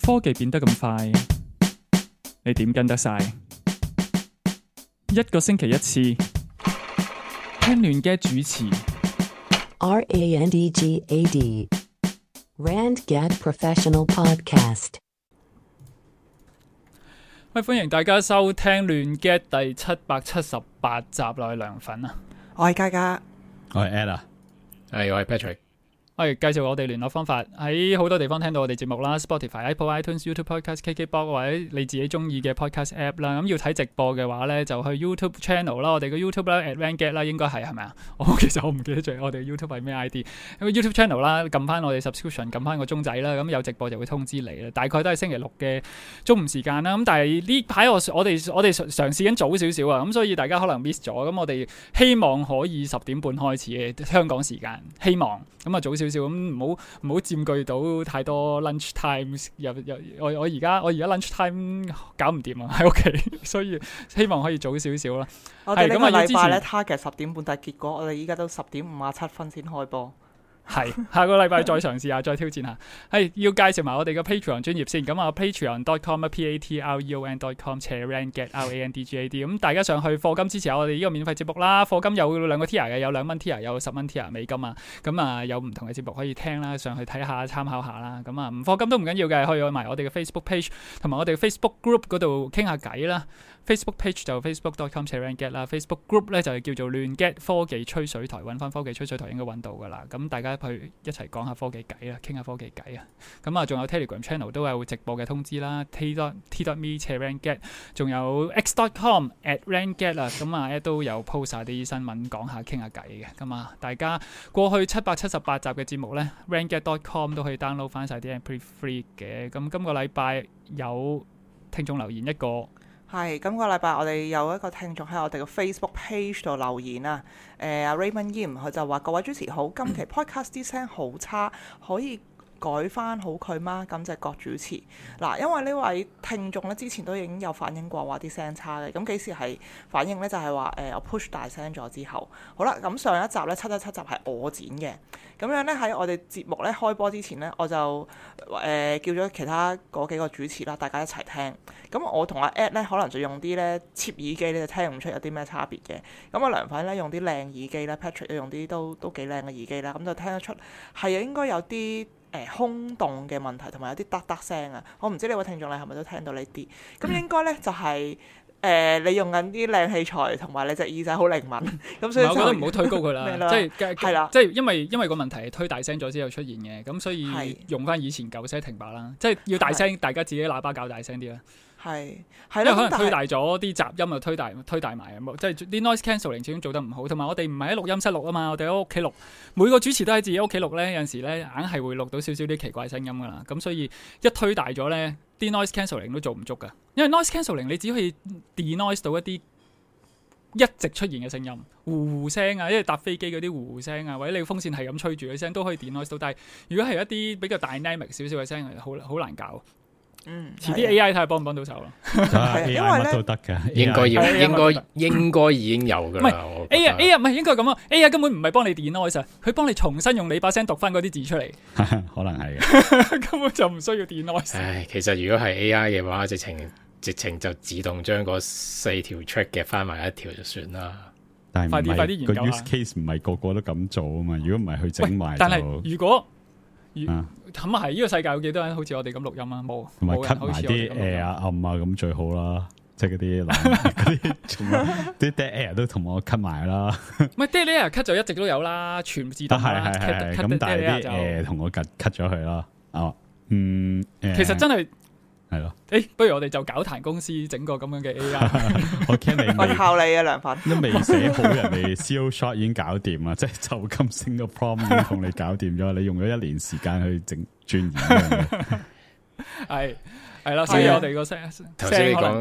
科技變得咁快，你點跟得晒？一個星期一次，聽亂嘅主持。RANDGAD RandGad Professional Podcast。喂，歡迎大家收聽亂嘅第778集啦，我係涼粉啊，我係嘉嘉，我係 Ed 啊，我係 Patrick。介紹我哋聯絡方法，喺好多地方聽到我哋節目啦 ，Spotify、Apple、iTunes、YouTube Podcast、KKBox 或者你自己中意嘅 Podcast App 啦。咁要睇直播嘅話咧，就去 YouTube Channel 啦，我哋嘅 YouTube 啦 @RandGad 啦，應該係咪啊？其實我唔記得咗我哋 YouTube 係咩 ID。咁 YouTube Channel 啦，撳翻我哋 subscription，撳翻個鐘仔啦，咁有直播就會通知你啦。大概都係星期六嘅中午時間啦。咁但係呢排我哋嘗試緊早少少啊，咁所以大家可能 miss 咗。咁我哋希望可以10點半開始嘅香港時間，希望咁啊早少少，咁唔好佔據到太多 lunch time。我而家 lunch time 搞唔掂啊，喺屋企，所以希望可以早少少啦。我哋呢個禮拜咧 target 10點半，但係結果我哋依家都10點57分先開播。係下個禮拜再嘗試下，再挑戰下。係要介紹埋我哋嘅 Patreon 專頁先。咁啊 patreon.com/patreon/RandGad。咁大家上去課金支持下我哋呢個免費節目啦。課金有2個 tier 嘅，有2蚊 tier，有10蚊 tier 美金啊。咁啊有唔同嘅節目可以聽啦，上去睇下參考下啦。咁啊唔課金都唔緊要嘅，可以去埋我哋嘅 Facebook page 同埋我哋 Facebook group 嗰度傾下偈啦。Facebook page 就 facebook.com/RandGad 啦 ，Facebook group 咧就係叫做亂 get 科技吹水台，揾翻科技吹水台應該揾到噶啦。咁大家去一齊講下科技偈啦，傾下科技偈啊。咁啊，仲有 Telegram channel 都有直播嘅通知啦 ，t.me/RandGad， 仲有 x.com/RandGad 啊。咁啊，都有 post 下啲新聞，講下傾下偈嘅。咁啊，大家過去778集嘅節目咧 ，RandGad.com 都可以 download 翻晒啲 MP3 嘅。咁今個禮拜有聽眾留言一個。係，今個禮拜我哋有一個聽眾喺我哋嘅 Facebook page 度留言啊。阿 Raymond Yim 佢就話：各位主持好，今期 podcast 啲聲好差，可以改翻好佢嗎？感謝各主持。嗱，因為呢位聽眾咧之前都已經有反映過話啲聲差嘅，咁幾時係反應咧？就係話我 push 大聲咗之後，好啦，咁上一集咧717集係我剪嘅，咁樣咧喺我哋節目咧開播之前咧，我就叫咗其他嗰幾個主持啦，大家一齊聽。咁我同阿 Ed 咧可能就用啲咧 cheap 耳機咧，就聽唔出有啲咩差別嘅。咁阿涼粉咧用啲靚耳機咧 ，Patrick 用啲都幾靚嘅耳機啦，咁就聽得出係應該有啲空洞嘅問題，同埋有啲得聲啊！我唔知呢位聽眾你係咪都聽到呢啲？咁應該咧就係、你用緊啲靚器材，同埋你隻耳仔好靈敏，咁所以我覺得唔好推高佢啦，係啦，即係因為個問題係推大聲咗之後出現嘅，咁所以用翻以前舊聲停白啦，即係要大聲，大家自己喇叭較大聲啲啦。係因為可能推大咗啲雜音，就推大埋，即係啲 noise cancelling 始終做得唔好，同埋我哋唔係喺錄音室錄啊嘛，我哋喺屋企錄，每個主持都喺自己屋企錄咧，有陣時咧硬係會錄到少少啲奇怪聲音噶啦，咁所以一推大咗咧，啲 noise cancelling 都做唔足噶，因為 noise cancelling 你只可以 denoise 到一啲一直出現嘅聲音，呼聲啊，因為搭飛機嗰啲呼聲啊，或者你風扇係咁吹住嘅聲都可以 denoise 到，但係如果係一啲比較 dynamic 少少嘅聲，好難搞。遲啲 AI 睇下幫唔幫到手咯。AI 乜都得㗎，應該已經有㗎啦。唔係 AI 唔係應該咁啊 ，AI 根本唔係幫你 denoise 啊，佢幫你重新用你把聲讀翻嗰啲字出嚟。可能係嘅，根本就唔需要 denoise。唉，其實如果係 AI 嘅話，直情就自動將嗰4條 track 夾翻埋一條就算啦。但係快啲研究下。個 use case 唔係個個都咁做啊嘛。如果唔係佢整埋，但係如果咁啊係呢個世界有幾多人好似我哋咁錄音啊？冇，同埋 cut 埋啲暗啊咁最好啦。即係嗰啲 dead air 都同我 cut 埋啦。唔係 dead air cut 就一直都有啦，全自動啦。係咁，但係啲同我 cut 咗佢啦。其實真係係咯。不如我哋就搞壇公司整個咁樣嘅 AI。我驚你我靠你啊，涼粉都未寫好，人哋 CO shot 已經搞掂啦，即係就咁升個 prompt 已經同你搞掂咗，你用咗1年時間去整鑽研呢樣嘢。係啦，所以我哋個聲頭先你講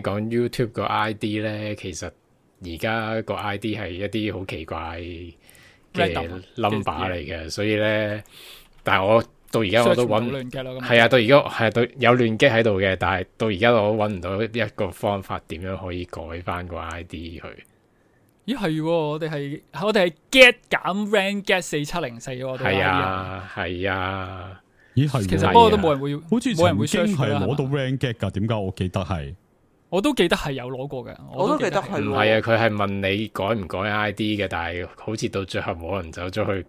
講 YouTube 個 ID 咧，其實而家個 ID 係一啲好奇怪嘅 number 嚟嘅，所以咧，但係我到而家我都揾係啊，到而家係有亂擊喺度嘅，但係到而家我都揾唔到一個方法點樣可以改翻個 ID 去。咦係，我哋係 get 減 RandGad 4704喎。係啊。咦係，其實不過都冇人會，好似冇人會曾 search 經係㗎啦攞到係嘛 rank get 㗎，點解我記得係？我都記得係有攞過嘅，我都記得係唔係啊，佢係問你改唔改 ID 嘅，但係好似到最後冇人走咗去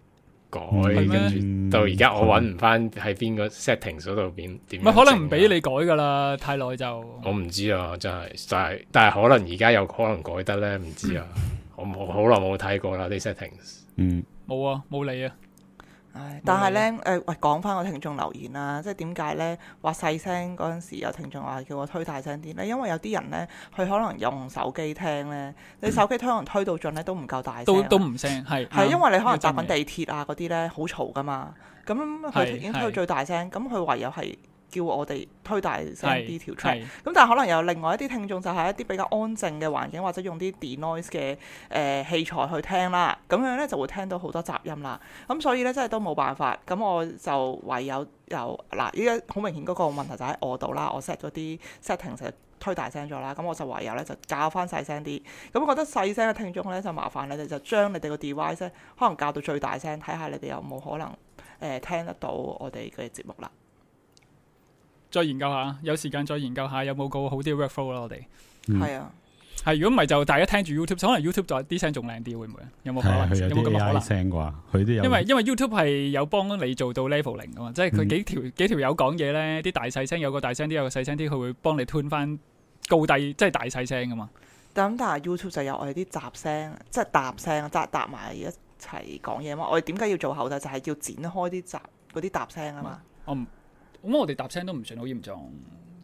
改，跟住到而家我揾唔翻喺邊個 settings 嗰度邊點。唔係可能唔俾你改㗎啦，太耐就。我唔知啊，真係，但係可能而家有可能改得咧，唔知啊。我好耐冇睇過啦啲 settings。冇啊，冇理啊。但係咧，喂，講翻個聽眾留言啦，即係點解咧話細聲嗰陣時有聽眾話叫我推大聲啲咧？因為有啲人咧，佢可能用手機聽咧，你手機可能推到盡咧都唔夠大聲，都唔聲係因為你可能搭緊地鐵啊嗰啲咧好嘈噶嘛，咁佢已經推到最大聲，咁佢唯有係叫我哋推大聲啲條 track，咁但係可能有另外一啲聽眾就係一啲比較安靜嘅環境，或者用啲 denoise 嘅器材去聽啦，咁樣咧就會聽到好多雜音啦。咁所以咧真係都冇辦法，咁我就唯有嗱，依家好明顯嗰個問題就喺我度啦，我 set 咗啲 setting 就推大聲咗啦，咁我就唯有咧就校翻細聲啲。咁覺得細聲嘅聽眾咧就麻煩你哋就將你哋個 device 咧可能校到最大聲，睇下你哋有冇可能聽得到我哋嘅節目啦。再研究下，有時間再研究下有冇個好啲 workflow 啦。我哋係啊，係如果唔係就大家聽住 YouTube，可能 YouTube 再啲聲仲靚啲，會唔會啊？有冇可能？有冇咁嘅可能？聲啩？佢都有。因為 YouTube 係有幫你做到 leveling 噶嘛，即係佢幾條友講嘢咧，啲大細聲有個大聲啲，有個細聲啲，佢會幫你 tune 翻高低，即係大細聲噶嘛。但係 YouTube 就有我哋啲雜聲，即係搭聲，搭埋一齊講嘢嘛。我哋點解要做後製？就係要剪開啲嗰啲搭聲啊嘛。咁我哋搭聲都唔算好嚴重，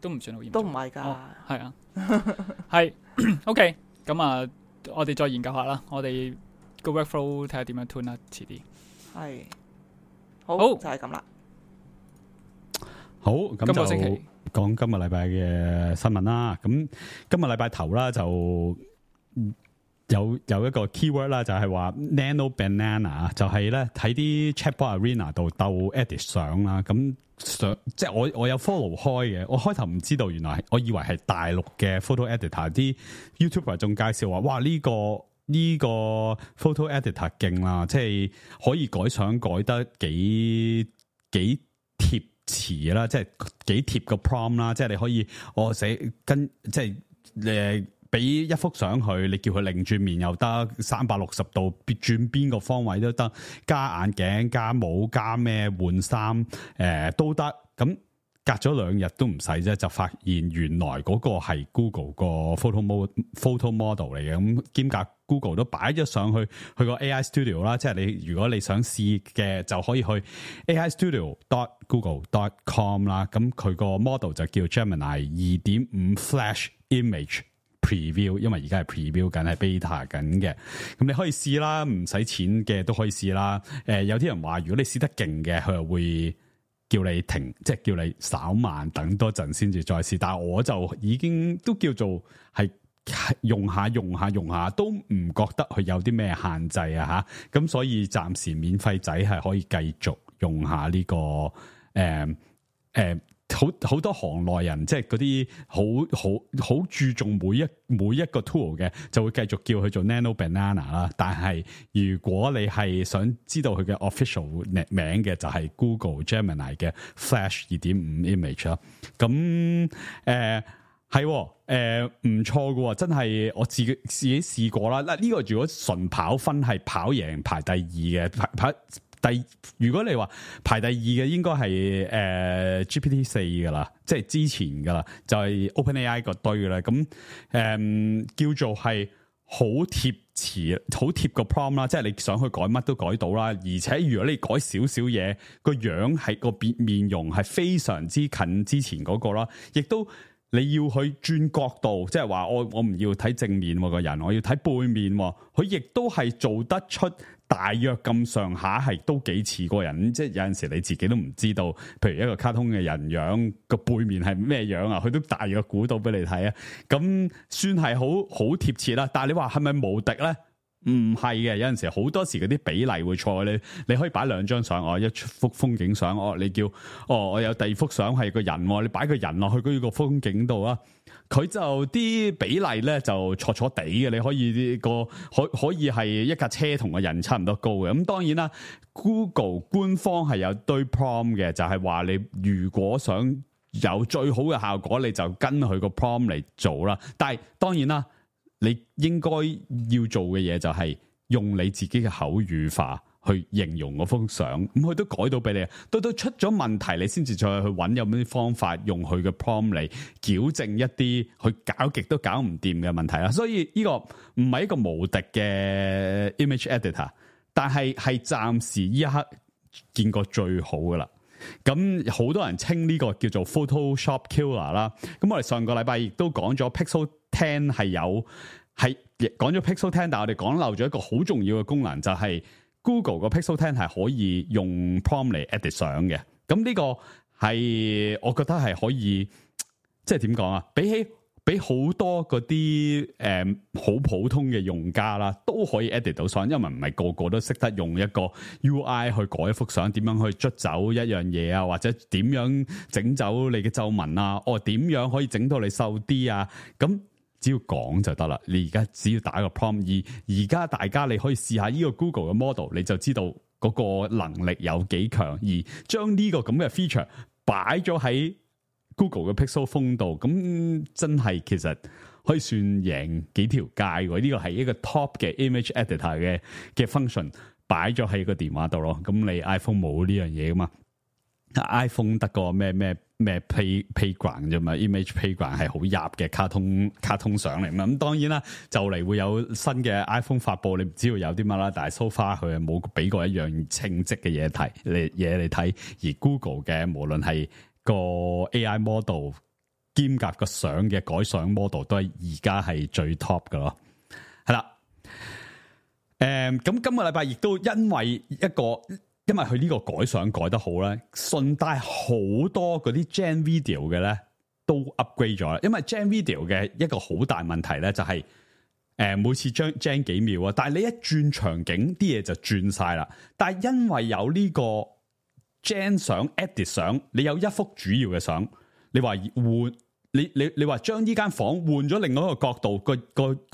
都唔算好嚴重，都唔係㗎。係啊，係 OK。咁啊，我哋再研究下啦。我哋個 workflow 睇下點樣 tune 啦，遲啲。係好就係咁啦。好，咁就講今日禮拜嘅新聞啦。咁今日禮拜頭啦，就有一個 keyword 啦，就係話 Nano Banana，就係咧喺啲 Chatbot Arena 度鬥 edit 相啦。咁即係我有 follow 開嘅，我開頭唔知道，原來我以為係大陸嘅 photo editor， 啲 YouTuber 仲介紹話，哇呢個 photo editor 勁啦，即係可以改相改得幾貼詞啦，即係幾貼個 prompt 啦，即係你可以寫跟即係俾一幅相佢，你叫佢擰轉面又得，360度轉邊個方位都得，加眼鏡、加帽、加咩換衫，都得。咁隔咗2日都唔使啫，就發現原來嗰個係 Google 個 photo model 嚟嘅。咁兼夾 Google 都擺咗上去個 AI Studio 啦，即係你如果你想試嘅就可以去 aistudio.google.com 啦。咁佢個 model 就叫 Gemini 2.5 Flash Image Preview， 因為而家係 preview 緊，係 beta 緊嘅。咁你可以試啦，唔使錢嘅都可以試啦。有啲人話如果你試得勁嘅，佢又會叫你停，即係叫你稍慢等多陣先至再試。但係我就已經都叫做係用下，都唔覺得佢有啲咩限制啊吓。咁所以暫時免費仔係可以繼續用下呢個好多行內人，即係嗰啲好注重每一個 tool 嘅，就會繼續叫佢做 Nano Banana 啦。但係如果你係想知道佢嘅 official 名嘅，就係 Google Gemini 嘅 Flash 2.5 Image 啦。咁係唔錯㗎，真係我自己試過啦。嗱，呢個如果純跑分係跑贏排第2嘅，如果你話排第2嘅應該係GPT-4 噶啦，即係之前噶啦，就係 OpenAI 個堆噶啦。咁叫做係好貼詞、好貼個 prompt 啦，即係你想去改乜都改到啦。而且如果你改少少嘢，個樣係個面容係非常之近之前嗰個啦，亦都你要去轉角度，即係話我唔要睇正面個人，我要睇背面，佢亦都係做得出。大約咁上下係都幾似個人，即係有陣時你自己都唔知道，譬如一個卡通嘅人樣個背面係咩樣啊，佢都大約估到俾你睇啊。咁算係好貼切啦。但係你話係咪無敵咧？唔係嘅，有陣時好多時嗰啲比例會錯。你可以擺2張相，一幅風景相，你叫我有第二幅相係個人，你擺個人落去嗰個風景度啊，佢就啲比例咧就錯錯地嘅。你可以可以係一架車同個人差唔多高嘅。咁當然啦 ，Google 官方係有堆 prompt 嘅，就係話你如果想有最好嘅效果，你就跟佢個 prompt 嚟做啦。但係當然啦。你應該要做嘅嘢就係用你自己嘅口語化去形容嗰幅相，咁佢都改到俾你。到出咗問題，你先至再去揾有咩方法用佢嘅 prompt 嚟矯正一啲佢搞極都搞唔掂嘅問題啦。所以呢個唔係一個無敵嘅 image editor， 但係暫時呢一刻見過最好噶啦。咁好多人稱呢個叫做 Photoshop Killer 啦。咁我哋上個禮拜亦都講咗 Pixel 10係講咗 Pixel 10，但係我哋講漏咗一個好重要嘅功能，就係 Google 個 Pixel 10係可以用 prompt 嚟 edit 相嘅。咁呢個係我覺得係可以，即係點講啊？比好多嗰啲好普通嘅用家啦，都可以 edit 到相，因為唔係個個都識得用一個 UI 去改一幅相，點樣去捽走一樣嘢啊，或者點樣整走你嘅皺紋啊，點樣可以整到你瘦啲啊？咁只要講就得啦。你而家只要打個 prompt， 而家大家你可以試下呢個 Google 嘅 model， 你就知道嗰個能力有幾強，而將呢個咁嘅 feature 擺咗喺Google 嘅 Pixel Phone 度，咁真係其實可以算贏幾條街喎。呢個係一個 top 嘅 image editor 嘅 function 擺咗喺個電話度咯。咁你 iPhone 冇呢樣嘢噶嘛 ？iPhone 得個咩 playground 啫嘛 ，image playground 係好入嘅卡通相嚟嘛。咁當然啦，就嚟會有新嘅 iPhone 發布，你唔知道有啲乜啦。但係 so far 佢係冇俾過一樣稱職嘅嘢嚟睇，而 Google 嘅無論係個 AI model 兼夾個相嘅改相 model 都係而家係最 top 㗎咯，係啦。咁今個禮拜亦都因為佢呢個改相改得好咧，順帶好多嗰啲 Gen Video 嘅咧都 upgrade 咗啦。因為 Gen Video 嘅一個好大問題咧就係每次Gen 幾秒啊，但係你一轉場景啲嘢就轉晒啦。但係因為有呢個Gen 相 edit 相，你有一幅主要嘅相，你話換你話將呢間房換咗另外一個角度，個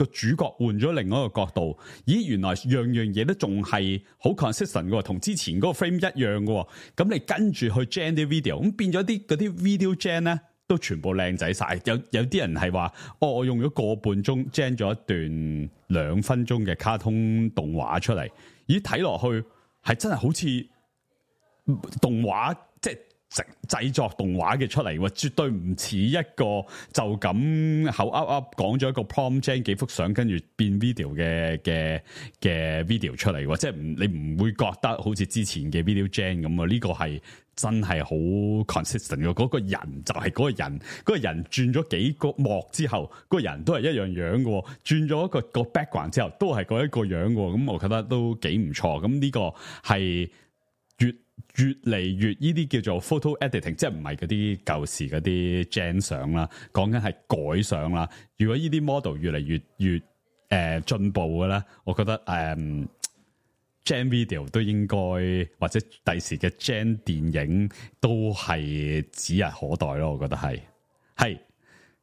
主角換咗另外一個角度，咦，原來樣嘢都仲係好 consistent 嘅，同之前嗰個 frame 一樣嘅。咁你跟住去 gen 啲 video， 咁變咗嗰啲 video gen 咧都全部靚仔晒。有啲人係話，我用咗個半鐘 gen 咗一段2分鐘嘅卡通動畫出嚟，咦，睇落去係真係好似動畫，即係製作動畫嘅出嚟，絕對唔似一個就咁口噏講咗一個 prompt gen 幾幅相，跟住變 video 嘅 video 出嚟，即係你唔會覺得好似之前嘅 video gen 咁啊？呢個係真係好 consistent 嘅，嗰個人就係嗰個人，嗰個人轉咗幾個幕之後，嗰個人都係一樣樣嘅，轉咗一個 background 之後，都係嗰一個樣嘅，咁我覺得都幾唔錯。咁呢個係越嚟越呢啲叫做 photo editing， 即係唔係嗰啲舊時嗰啲 gen 相啦，講緊係改相啦。如果呢啲 model 越嚟越進步嘅咧，我覺得gen video 都應該，或者第時嘅 gen 電影都係指日可待咯。我覺得係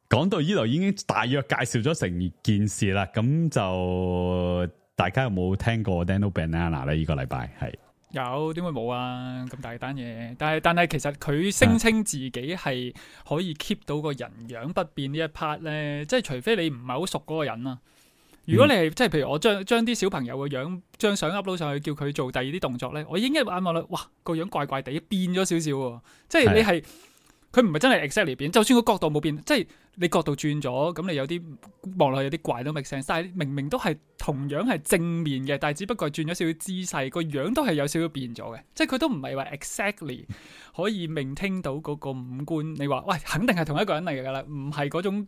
講到呢度已經大約介紹咗成件事啦。咁就大家有冇聽過 Nano Banana 咧？呢個禮拜係。有，點會冇啊？咁大單嘢，但係其實佢聲稱自己係可以 keep 到個人樣不變呢一 part 咧，即係除非你唔係好熟嗰個人啊。如果你係即係譬如我將啲小朋友嘅樣將相 upload 上去，叫佢做第二啲動作咧，我已經一眼望落，哇，個樣怪怪地變咗少少喎，即係你係佢唔係真係 exactly 變，就算個角度冇變，即係你角度轉咗，咁你有啲望落去有啲怪都 make sense，但係明明都係同樣係正面嘅，但係只不過轉咗少少姿勢，個樣都係有少少變咗嘅，即係佢都唔係話 exactly 可以maintain到嗰個五官。你話喂，肯定係同一個人嚟㗎啦，唔係嗰種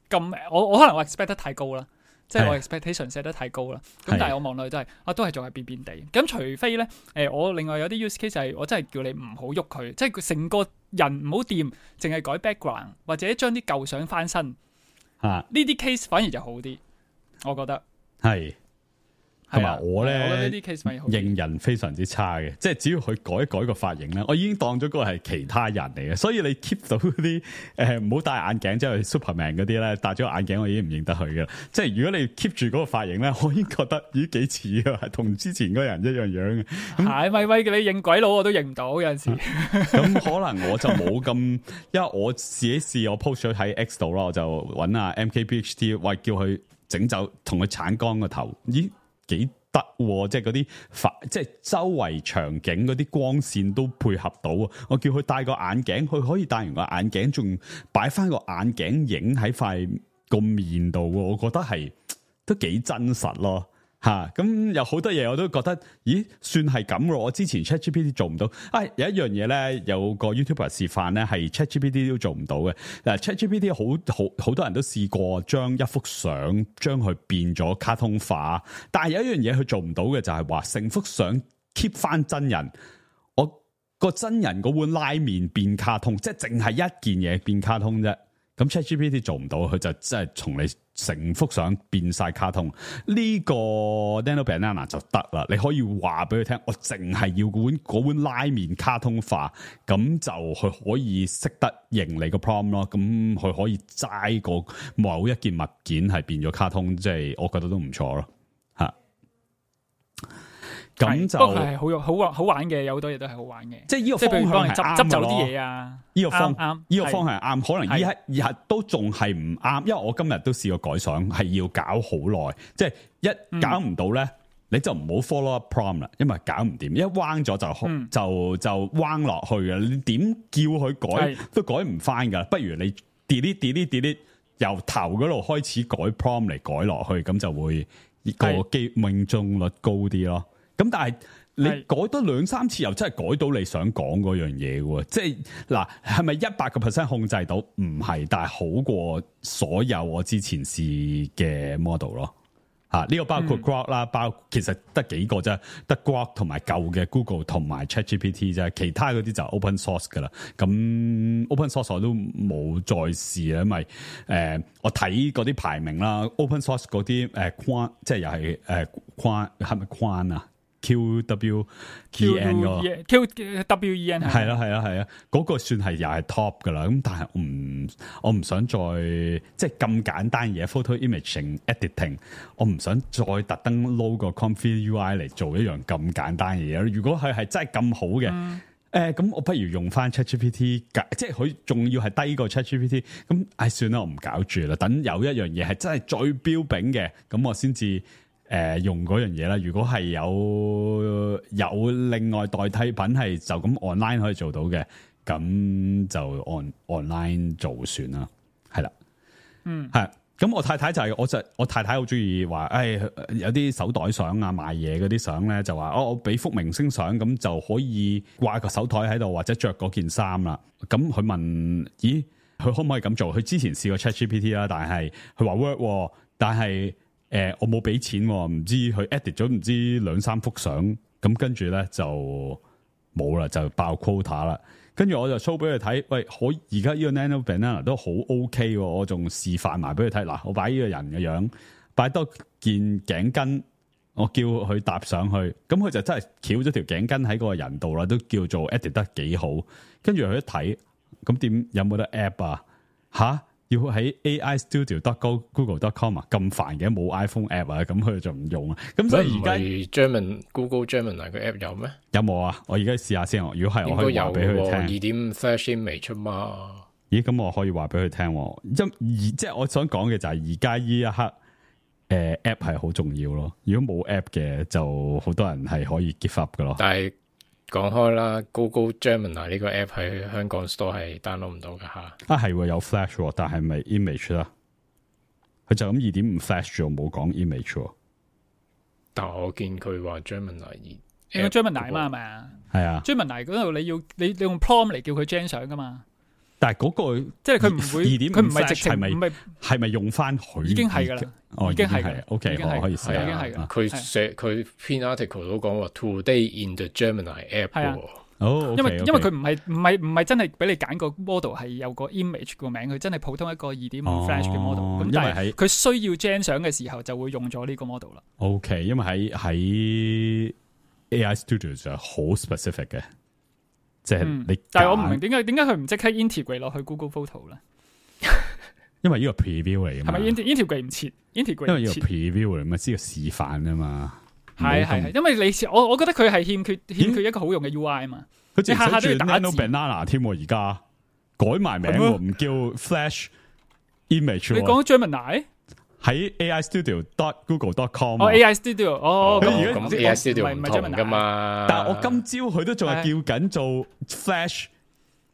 咁，我可能我 expect 得太高啦。即係我 expectation set 得太高啦，咁但係我望落去都係都係仲係變變地。咁除非咧，我另外有啲 use case 係我真係叫你唔好喐佢，即係佢成個人唔好掂，淨係改 background 或者將啲舊相翻身。呢啲 case 反而就好啲，我覺得。係同埋我咧，我覺得呢啲 case 咪好認人非常之差嘅，即係只要佢改一改個髮型咧，我已經當咗嗰個係其他人嚟嘅。所以你 keep 到啲唔好戴眼鏡，即係 Superman 嗰啲咧，戴咗個眼鏡我已經唔認得佢嘅。即係如果你 keep 住嗰個髮型咧，我已經覺得咦幾似啊，係同之前嗰人一樣樣嘅。係咪喂，你認鬼佬我都認唔到有陣時。咁可能我就冇咁，因為我自己試我 post 咗喺 X 度啦，我就揾阿 MKBHD 喂叫佢整走，同佢鏟乾個頭，咦？幾得喎，即係嗰啲即係周圍場景嗰啲光線都配合到。我叫佢戴個眼鏡，佢可以戴完個眼鏡，仲擺翻個眼鏡影喺塊個面度，我覺得係都幾真實咯。咁有好多嘢我都覺得，咦，算係咁咯。我之前 ChatGPT 做唔到，有一樣嘢咧，有個 YouTuber 示範咧，係 ChatGPT 都做唔到嘅。嗱，ChatGPT 好多人都試過將一幅相將佢變咗卡通化，但係有一樣嘢佢做唔到嘅就係話成幅相 keep 翻真人，我個真人嗰碗拉麵變卡通，即係淨係一件嘢變卡通啫。咁 ChatGPT 做唔到，佢就真係從你成幅相變晒卡通。呢個 Nano Banana 就得啦，你可以話俾佢聽，我淨係要嗰碗拉麵卡通化，咁就佢可以識得認你個 prompt 咯。咁佢可以齋個某一件物件係變咗卡通，即係我覺得都唔錯咯。咁就不過係好玩嘅，有好多嘢都係好玩嘅。即係呢個方向係啱執走啲嘢啊！呢個方啱，呢個方向係啱。可能依日都仲係唔啱，因為我今日都試過改相，係要搞好耐。即係一搞唔到咧，你就唔好 follow up prompt 啦，因為搞唔掂。一彎咗就彎落去嘅。你點叫佢改都改唔翻噶。不如你 delete 由頭嗰度開始改 prompt 嚟改落去，咁就會個命中率高啲咯。咁但係你改多2-3次又真係改到你想講嗰樣嘢喎，即係嗱，係咪100% 控制到？唔係，但係好過所有我之前試嘅 model 咯。呢個包括 Grok 啦，其實得幾個啫，得 Grok 同埋舊嘅 Google 同埋 ChatGPT 啫，其他嗰啲就 open source 噶啦。咁 open source 我都冇再試啦，因為我睇嗰啲排名啦，open source 嗰啲框，即係又係框，係咪框啊？QWEN 個 QWEN 係啦，嗰個算係又係 top 噶啦。咁但係我唔想再即係咁簡單嘢 photo imaging editing， 我唔想再特登 load 個 Comfy UI 嚟做一樣咁簡單嘅嘢。如果佢係真係咁好嘅，咁我不如用翻 ChatGPT， 即係佢仲要係低過 ChatGPT。咁算啦，我唔搞住啦。等有一樣嘢係真係最標炳嘅，咁我先至用嗰樣嘢啦。如果係有另外代替品係就咁 online 可以做到嘅，咁就 online 做算啦。係啦，係。咁我太太就係我太太好中意話，有啲手袋相啊，賣嘢嗰啲相咧，就話我俾幅明星相，咁就可以掛個手台喺度，或者着嗰件衫啦。咁佢問，咦，佢可唔可以咁做？佢之前試過 ChatGPT 啦，但係佢話 work， 但係我冇俾錢，唔知佢 edit 咗唔知2-3幅相，咁跟住咧就冇啦，就爆 quota 啦。跟住我就 show 俾佢睇，喂，而家呢個 Nano Banana 都好 OK 喎，我仲示範埋俾佢睇。嗱，我擺呢個人嘅樣，擺多件頸巾，我叫佢搭上去，咁佢就真係翹咗條頸巾喺嗰個人度啦，都叫做 edit 得幾好。跟住佢一睇，咁點有冇得 app 啊？要喺 AIstudio.google.com 啊，咁煩嘅，冇 iPhone app 啊，咁佢就唔用啊。咁所以而家 Google Gemini 個 app 有咩？有冇啊？我而家試下先。如果係，我可以話俾佢聽。2.5 Flash Image 嘛？咦，咁我可以話俾佢聽。即係我想講嘅就係而家呢一刻，app 係好重要咯。如果冇 app 嘅，就好多人係可以 give up 噶咯。但係講開啦 ，Google Gemini 呢個 app 喺香港 store 係 download 唔到噶吓。係喎，有 Flash， 但係咪 image 啦？佢就咁 2.5 Flash 咗，冇講 image。但我見佢話 Gemini 應該 Gemini 嘛，係咪啊？係啊 ，Gemini 嗰度你用 prompt 嚟叫佢 gen 相噶嘛？但係嗰個即係佢唔會，佢唔係直情係咪用翻佢？已經係噶啦，已經係 OK， 我可以試下。佢篇 article 都講話 Today in the Gemini app。哦，因為佢唔係真係俾你揀個 model 係有個 image 個名，佢真係普通一個2.5 Flash 嘅 model。咁但係佢需要 gen 相嘅時候就會用咗呢個 model 啦。OK， 因為喺 AI Studio 就好 specific 嘅，即係你。但係我唔明點解佢唔即刻 integrate 落去 Google Photo 咧？因為呢個 preview 嚟嘅嘛。係咪 integrate 唔切 ？integrate 因為呢個 preview 嚟嘛，知道示範啊嘛。係，因為我覺得佢係欠缺一個好用嘅 UI 啊嘛。佢直下寫住 Nano Banana 添，而家改埋名喎，唔叫 Flash Image。你講 Gemini 喺 AI Studio.google.com。AI Studio，咁 AI Studio 唔同噶嘛。但係我今朝佢都仲係叫緊做 Flash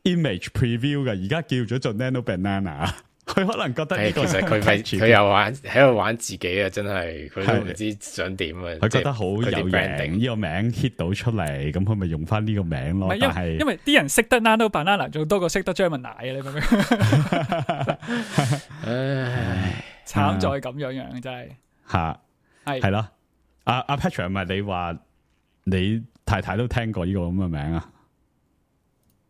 Image Preview 嘅，而家叫咗做 Nano Banana。佢可能覺得呢個其實佢又喺度玩自己啊！真係佢都唔知想點啊！佢覺得好有型，呢個名 hit 到出嚟，咁佢咪用翻呢個名咯。但係因為啲人識得 Nano Banana 仲多過識得 Gemini 啊！你明唔明？唉，慘在咁樣真係吓係咯。阿 Patrick 係咪你話你太太都聽過呢個咁嘅名啊？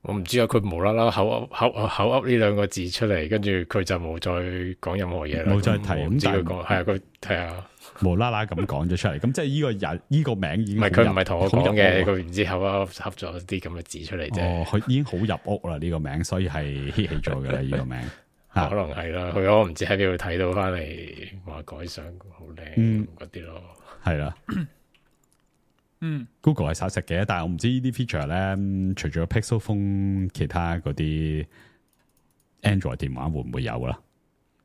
我唔知啊，佢無啦啦口噏呢兩個字出嚟，跟住佢就冇再講任何嘢啦，冇再提。唔知佢講係啊，佢係啊，無啦啦咁講咗出嚟，咁即係呢個人呢個名已經佢唔係同我講嘅，佢唔知口噏咗啲咁嘅字出嚟啫。哦，佢已經好入屋啦呢個名，所以係 hit 起咗嘅啦呢個名。可能係啦，佢我唔知喺邊度睇到翻嚟話改相好靚嗰啲咯，係啦。Google 係殺食嘅，但係我唔知呢啲 feature 咧，除咗 Pixel Phone，其他嗰啲 Android 電話會唔會有啦？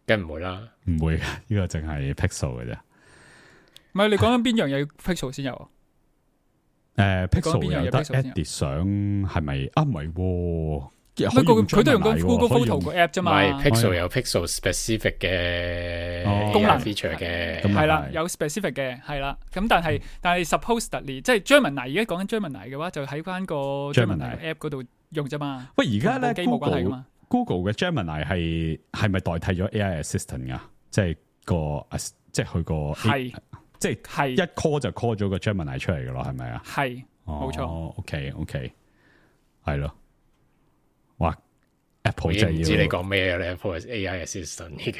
梗唔會啦，唔會嘅，呢個淨係 Pixel 嘅啫。唔係你講緊邊樣嘢 Pixel 先有啊？Pixel 有得 edit 相係咪啊？唔係。佢都用緊 Google Photo 個 app 啫嘛。唔係 Pixel 有 Pixel specific 嘅功能 feature 嘅，係啦，有 specific 嘅係啦。咁但係 supposedly 即係 Gemini 而家講緊 Gemini 嘅話，就喺翻個 Gemini app 嗰度用啫嘛。喂，而家咧 Google 嘅 Gemini 係咪代替咗 AI Assistant 噶？即係即係佢個係，即係一 call 就 call 咗個 Gemini 出嚟噶咯？係咪啊？係，冇錯。OK，係咯。哇 ！Apple 真係要唔知你講咩咧 ？Apple 係 AI Assistant 已經，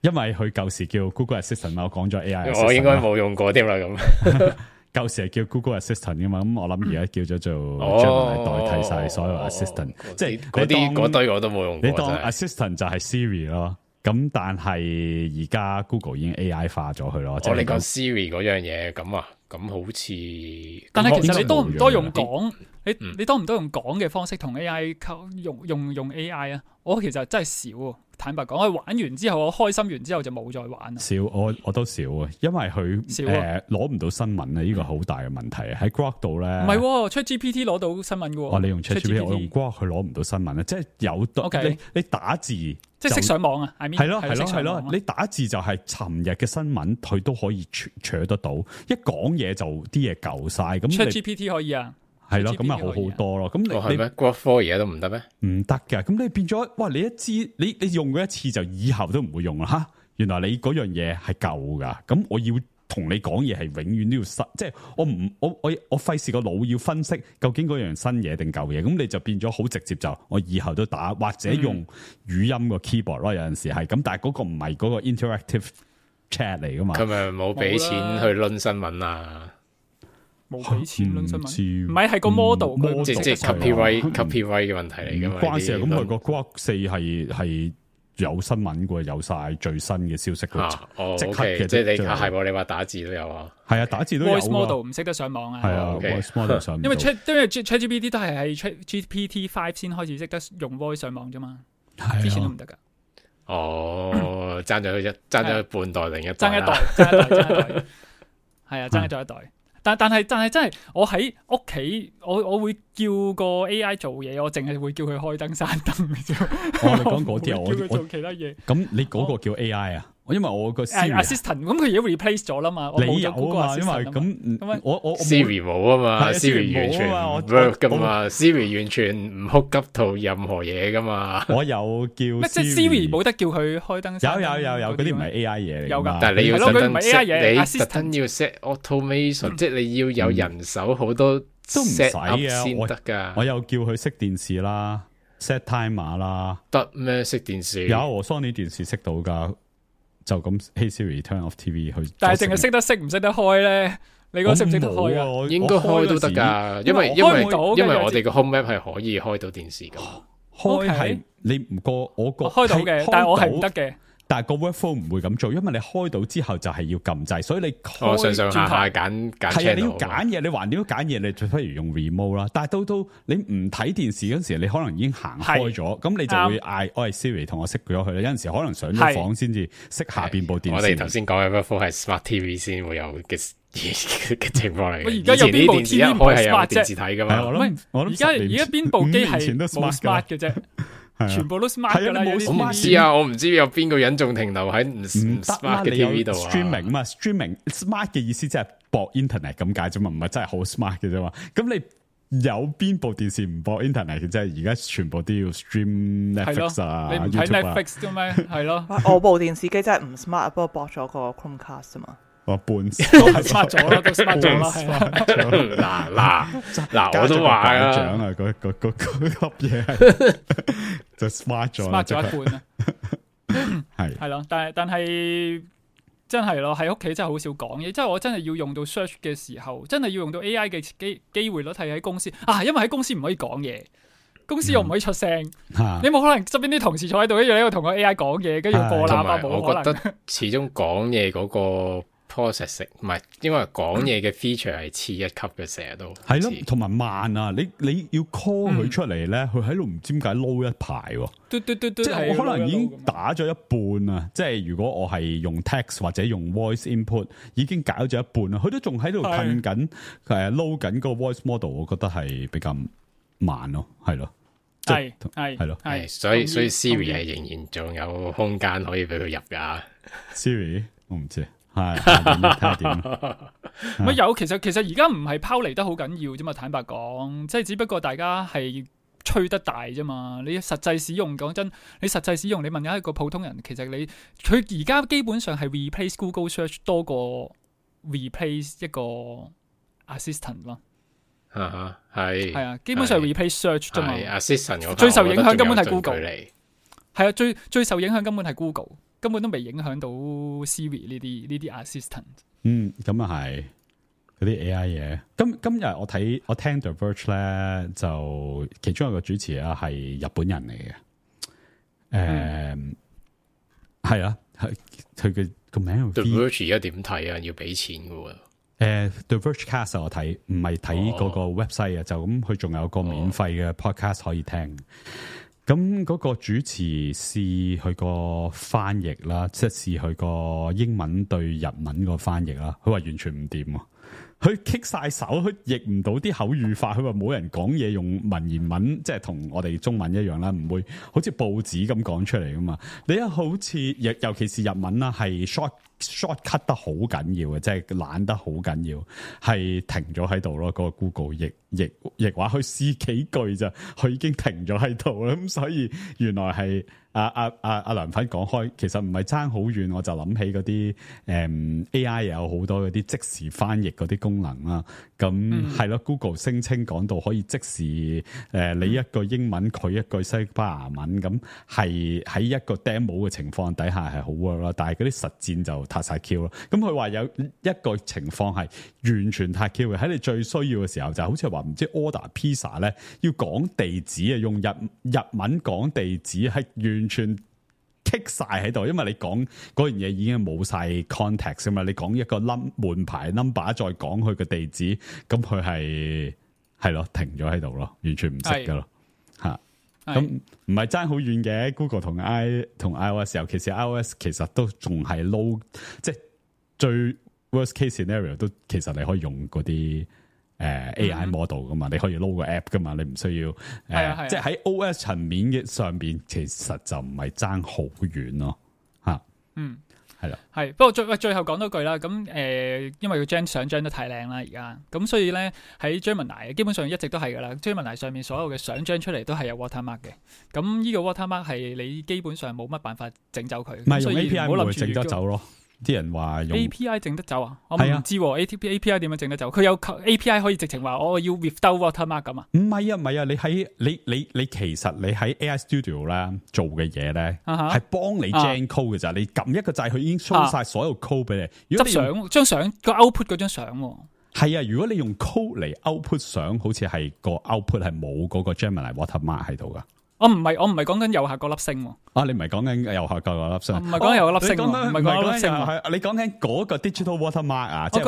因為佢舊時叫 Google Assistant 嘛，我講咗 AI Assistant。我應該冇用過添啦咁。舊時係叫 Google Assistant 噶嘛，咁我諗而家叫咗做 Gemini 代替晒所有 Assistant，即係嗰堆我都冇用過。你當 Assistant 就係 Siri 咯，咁但係而家 Google 已經 AI 化咗佢咯。我哋講 Siri 嗰樣嘢咁啊，咁好似，但係其實你多唔多用講？你多唔多用講嘅方式同 AI 用 AI 啊？我其實真係少啊，坦白講，我玩完之後，我開心完之後就冇再玩。少，我都少啊，因為佢攞唔到新聞啊，呢個好大嘅問題喺 Grok 度咧。唔係，ChatGPT 攞到新聞嘅。你用 ChatGPT，我用 Grok 佢攞唔到新聞啊，即係有你打字，即係識上網啊。係咯，你打字就係尋日嘅新聞，佢都可以取得到。一講嘢就啲嘢舊晒咁。ChatGPT 可以啊。係咯，咁咪好好多咯。咁你咩 Grok 4而家都唔得咩？唔得㗎。咁你變咗，哇！你一知你用過一次就以後都唔會用啦。吓，原來你嗰樣嘢係舊噶。咁我要同你講嘢係永遠都要新，即係我費事個腦要分析究竟嗰樣新嘢定舊嘢。咁你就變咗好直接就我以後都打或者用語音個 keyboard 咯。有陣時係咁，但係嗰個唔係嗰個 interactive chat 嚟噶嘛。佢咪冇俾錢去論新聞啊？冇俾錢論新聞，唔係個 model，即係 copyright 嘅問題嚟噶嘛？關事咁佢個 Grok 4係有新聞嘅，有晒最新嘅消息嘅，即刻嘅。即係你係你話打字都有啊？係啊，打字都有。Voice model 唔識得上網啊？係啊 ，Voice model 上唔到。因為 ChatGPT 都係喺 GPT5 先開始識得用 Voice 上網啫嘛，之前都唔得噶。爭咗半代定一代？爭一代，係啊，爭咗一代。但係真係，我喺屋企，我會叫個 AI 做嘢，我淨係會叫佢開燈閂燈嘅啫。你講嗰啲我叫佢做其他嘢。咁你嗰個叫 AI 啊？因為我個 assistant 咁佢而家 replace 咗啦嘛。你有啊嘛？因為咁我 Siri 冇啊嘛，Siri 完全唔 work 噶嘛，Siri 完全唔 hook up 到任何嘢噶嘛。我有叫即係 Siri 冇得叫佢開燈。有嗰啲唔係 AI 嘢嚟。有㗎，但係你要特登 AI 嘢，你特登要 set automation，即係你要有人手好多都唔使 set up 啊，先得㗎。我有叫佢熄電視啦，set timer 啦，得咩熄電視？有我 Sony 電視熄到㗎，就咁 Hey Siri turn off TV 去。但係淨係識得熄唔識得開咧？你嗰個識唔識得開啊？應該開都得㗎，因為我哋個 home app 係可以開到電視㗎。開係你唔過我個開到嘅，但係我係唔得嘅。但係個 workflow 唔會咁做，因為你開到之後就係要撳掣，所以你開上下揀係啊，你要揀嘢，你橫掂要揀嘢，你最不如用 remote 啦。但係到你唔睇電視嗰時，你可能已經行開咗，咁你就會嗌我係 Siri 同我熄咗佢啦。有陣時可能上咗房先至熄下邊部電視。我哋頭先講嘅 workflow 係 smart TV 先會有嘅情況嚟嘅。而家有邊部 TV 唔係 smart 電視睇㗎嘛？而家邊部機係冇 smart 嘅啫。全部都 smart 㗎啦，我唔知啊，我唔知有邊個人仲停留喺唔 smart 嘅 TV 度啊 ？streaming 嘛 ，streaming smart 嘅意思即係播 internet 咁解啫嘛，唔係真係好 smart 嘅啫嘛。咁你有邊部電視唔播 internet 嘅？即係而家全部都要 stream Netflix 啊，你唔睇 Netflix 嘅咩？係咯。我部電視機真係唔 smart，不過駁咗個 Chromecast 啫嘛。我半都係 smart 咗啦，都 smart 咗啦。嗱，我都話啊，獎啊，嗰粒嘢就 smart 咗，smart 咗一半啊。係咯，但係真係咯，喺屋企真係好少講嘢。即係我真係要用到 search 嘅時候，真係要用到 AI 嘅機會率係喺公司啊，因為喺公司唔可以講嘢，公司又唔可以出聲。你冇可能側邊啲同事坐喺度，跟住喺度同個 AI 講嘢，跟住播喇叭，冇可能。我覺得始終講嘢嗰個 processing 唔係，因為講嘢嘅 feature 係次一級嘅，成日都係咯，同埋慢啊！你要 call 佢出嚟咧，佢喺度唔知點解撈一排喎。即係我可能已經打咗一半啊！即係如果我係用 text 或者用 voice input，已經搞咗一半啦，佢都仲喺度噴緊撈緊個 voice model， 我覺得係比較慢咯，係咯，係咯，所以 Siri 係仍然仲有空間可以俾佢入噶。Siri 我唔知。係睇下點？乜有？其實而家唔係拋離得好緊要啫嘛。坦白講，即係只不過大家係吹得大啫嘛。你實際使用，講真，你實際使用，你問一個普通人，其實佢而家基本上係 replace Google Search 多過 replace 一個 assistant 咯。係啊，基本上 replace search 啫嘛。assistant 最受影響根本係 Google 嚟。係啊，最受影響根本係 Google。根本都未影響到 Siri 呢啲 assistant。咁啊係嗰啲 AI 嘢。今日我聽 The Verge 咧，就其中一個主持啊係日本人嚟嘅。係啊，佢嘅個名 The Verge 而家點睇啊？要俾錢嘅喎。The Vergecast 我睇唔係睇嗰個 website 啊，就咁佢仲有個免費嘅 podcast 可以聽。咁嗰個主持試佢個翻譯啦，即係試佢個英文對日文個翻譯啦，佢話完全唔掂，佢棘晒手，佢譯唔到啲口語化，佢話冇人講嘢用文言文，即係同我哋中文一樣啦，唔會好似報紙咁講出嚟噶嘛。你又好似尤其是日文啦，係 short cut 得好緊要嘅，即係懶得好緊要，係停咗喺度咯。嗰個 Google 譯話佢試幾句咋，佢已經停咗喺度啦。咁所以原來係阿梁粉講開，其實唔係爭好遠，我就諗起嗰啲AI 有好多嗰啲即時翻譯嗰啲功能啦。咁係咯，Google 聲稱講到可以即時你一句英文，佢一句西班牙文，咁係喺一個 demo 嘅情況底下係好 work 啦。但係嗰啲實戰就撻晒 Q 咯。咁佢話有一個情況係完全撻 Q 嘅，喺你最需要嘅時候，就好似話唔知 order pizza 咧，要講地址啊，用日文講地址係完全棘晒喺度，因為你講嗰樣嘢已經冇晒 context 啊嘛，你講一個門牌 number 再講佢嘅地址，咁佢係咯停咗喺度咯，完全唔識噶咯吓。咁唔係爭好遠嘅 ，Google 同 iOS， 尤其是 iOS 其實都仲係 low， 即係最 worst case scenario 都其實你可以用嗰啲AI model 噶嘛，你可以 load 個 app 噶嘛，你唔需要即係喺 OS 層面嘅上邊，其實就唔係爭好遠咯吓。係啦，係。不過最後講多句啦，咁因為個相張得太靚啦，而家咁所以咧喺 Gemini 基本上一直都係噶啦。Gemini 上面所有嘅相張出嚟都係有 watermark 嘅。咁呢個 watermark 係你基本上冇乜辦法整走佢。唔係用 API 唔會整得走咯。啲人話用 API 整得走啊？我係啊唔知喎，API 點樣整得走？佢有 API 可以直情話我要 without watermark 咁啊？唔係啊，你其實你喺 AI Studio 咧做嘅嘢咧，係幫你 gen code 嘅咋，你撳一個掣，佢已經 show 晒所有 code 俾你。執相張相個 output 嗰張相喎。係啊，如果你用 code 嚟 output 相，好似係個 output 係冇嗰個 Gemini watermark 喺度噶。我唔係講緊右下角粒星喎。你唔係講緊右下角嗰粒星，唔係講右粒星，唔係講粒星。你講緊嗰個 digital watermark 啊？我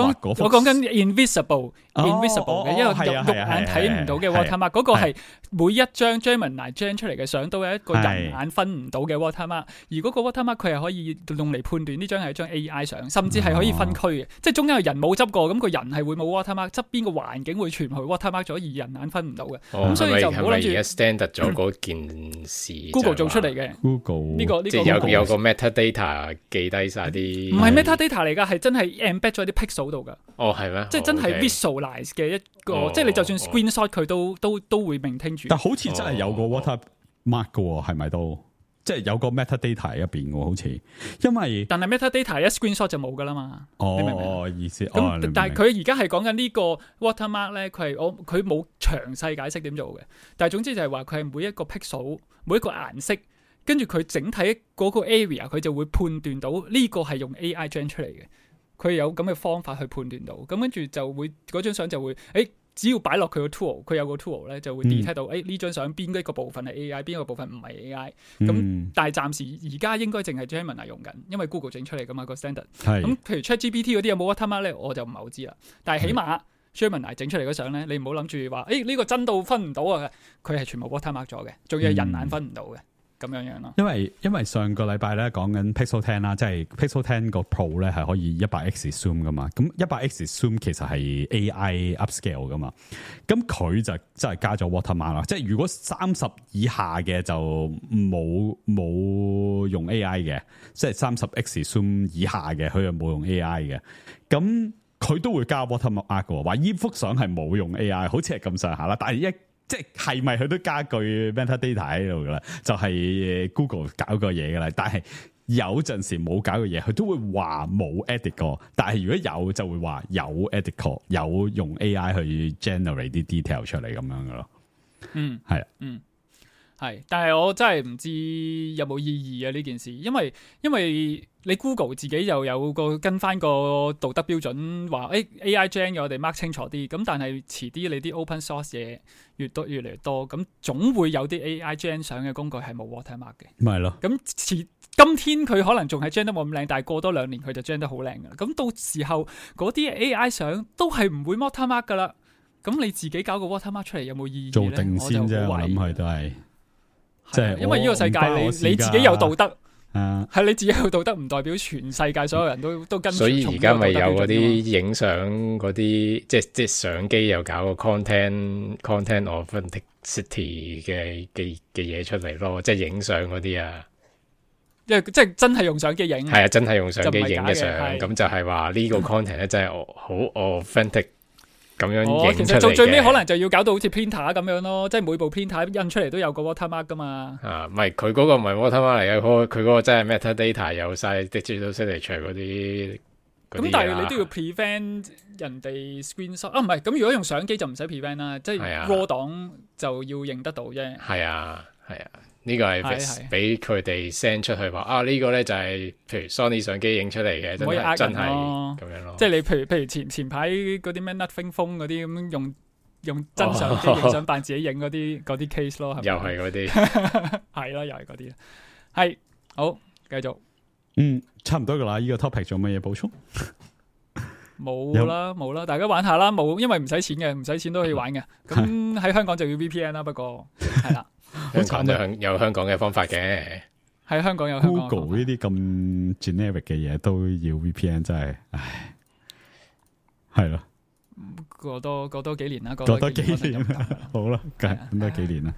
講緊 invisible 嘅，因為肉眼睇唔到嘅 watermark，嗰個係每一張 Gemini gen 出嚟嘅相都有一個人眼分唔到嘅 watermark，而嗰個 watermark 佢係可以用嚟判斷呢張係一張 AI 相，甚至係可以分區嘅，即係中間有人冇執過，咁個人係會冇 watermark，側邊個環境會全部 watermark 咗，而人眼分唔到嘅。咁所以就唔好諗住。係咪而家 standard 咗嗰件事 ？Google 做出嚟嘅。Google 呢個即係有個 metadata 記低晒啲，唔係 metadata 嚟㗎，係真係 embed 咗啲 pixel 度㗎。係咩？即係真係 visualize 嘅一個，即係你就算 screenshot 佢都會 maintain住。但好似真係有個 watermark 嘅喎，係咪都？即係有個 metadata 喺入邊喎，好似。因為但係 metadata 一 screenshot 就冇㗎啦嘛。你明唔明？意思。咁但係佢而家係講緊呢個 watermark 咧，佢冇詳細解釋點做嘅。但係總之就係話佢係每一個 pixel 每一個顏色。跟住佢整體嗰個 area，佢就會判斷到呢個係用 AI gen 出嚟嘅，佢有咁嘅方法去判斷到，咁跟住就會嗰張相就會，只要擺落佢個 tool， 佢有個 tool 咧就會 detect 到，呢張相邊一個部分係 AI， 邊一個部分唔係 AI，咁但係暫時而家應該淨係 Gemini 用緊，因為 Google 整出嚟噶嘛個 standard，咁譬如 ChatGPT 嗰啲有冇 watermark 咧，我就唔係好知啦，但係起碼 Gemini 整出嚟嗰相咧，你唔好諗住話，呢個真到分唔到啊，佢係全部 watermark 咗嘅，仲要係人眼分唔到嘅。咁樣咯，因為上個禮拜咧講緊 Pixel 10啦，即係 Pixel 10個 Pro 咧係可以 100x zoom 噶嘛，咁 100x zoom 其實係 AI upscale 噶嘛，咁佢就真係加咗 watermark 啦，即係如果30以下嘅就冇用 AI 嘅，即係30x zoom 以下嘅佢又冇用 AI 嘅，咁佢都會加 watermark 嘅，話呢幅相係冇用 AI， 好似係咁上下啦，但係即係咪佢都加句 metadata 喺度噶啦？就係 Google 搞個嘢噶啦，但係有陣時冇搞個嘢，佢都會話冇 edit 過。但係如果有就會話有 edit 過，有用 AI 去 generate 啲 detail 出嚟咁樣噶咯。係啊，係，但係我真係唔知有冇意義啊呢件事，因為你 Google 自己又有個跟翻個道德標準，話AI gen 嘅我哋 mark 清楚啲，咁但係遲啲你啲 open source 嘢越嚟越多，咁總會有啲 AI gen 相嘅工具係冇 watermark 嘅，咪係咯。咁今天佢可能仲係 gen 得冇咁靚，但係過多2年佢就 gen 得好靚噶啦，咁到時候嗰啲 AI 相都係唔會 watermark 噶啦，咁你自己搞個 watermark 出嚟有冇意義做定先啫，我諗佢都係。即係因為呢個世界你自己有道德，係你自己有道德，唔代表全世界所有人都跟。所以而家咪有嗰啲影相嗰啲，即係相機又搞個 content authenticity 嘅嘢出嚟咯，即係影相嗰啲啊。即係真係用相機影，係啊，真係用相機影嘅相，咁就係話呢個 content 咧真係好 authentic。咁樣影出嚟嘅，其實最尾可能就要搞到好似 printer 咁樣咯，即係每部 printer 印出嚟都有個 watermark 噶嘛。唔係佢嗰個唔係 watermark 嚟嘅，佢嗰個真係 metadata 有晒 digital signature 嗰啲。咁但係你都要 prevent 人哋 screenshot 唔係咁如果用相機就唔使 prevent 啦，即係 raw 檔就要認得到啫。係啊。呢個係俾佢哋 send 出去話呢個咧就係譬如 Sony 相機影出嚟嘅，真係咁樣咯。即係你譬如前排嗰啲咩 Nothing Phone 嗰啲咁用真相機影相扮自己影嗰啲 case 咯，係咪？又係嗰啲，係咯，又係嗰啲。係好，繼續。差唔多噶啦。呢個 topic 仲有乜嘢補充？冇啦，大家玩下啦。冇，因為唔使錢嘅，唔使錢都可以玩嘅。咁喺香港就要 VPN 啦，不過係啦。香港有香港嘅方法嘅，喺香港有香港 Google 呢啲咁 generic 嘅嘢都要 VPN， 真係，唉，係咯。過多幾年啦，過多幾年，好啦，咁多幾年啦，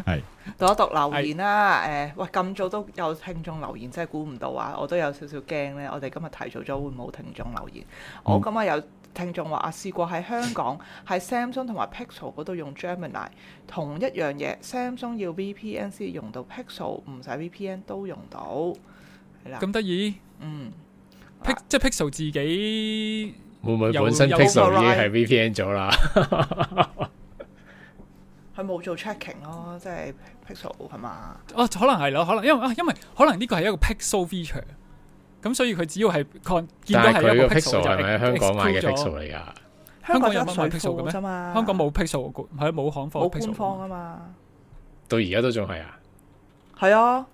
係。讀一讀留言啦，喂，咁早都有聽眾留言，真係估唔到啊！我都有少少驚咧，我哋今日提早咗會冇聽眾留言。我今日有聽眾話試過喺香港喺 Samsung 同埋 Pixel 嗰度用 Gemini， 同一樣嘢 Samsung 要 VPN 先用到 Pixel 唔使 VPN 都用到，係啦。咁得意？即係 Pixel 自己會唔會本身 Pixel 已經係 VPN 咗啦？佢冇做 checking 咯，即係 Pixel 係嘛？哦，可能係咯，可能因為可能呢個係一個 Pixel feature，咁所以佢只要係見到係一個 Pixel 係咪喺香港買嘅 Pixel 嚟㗎？香港有乜買 Pixel 嘅咩？嘛？香港冇 Pixel， 係冇行貨，冇官方啊嘛。到而家都仲係啊？係啊。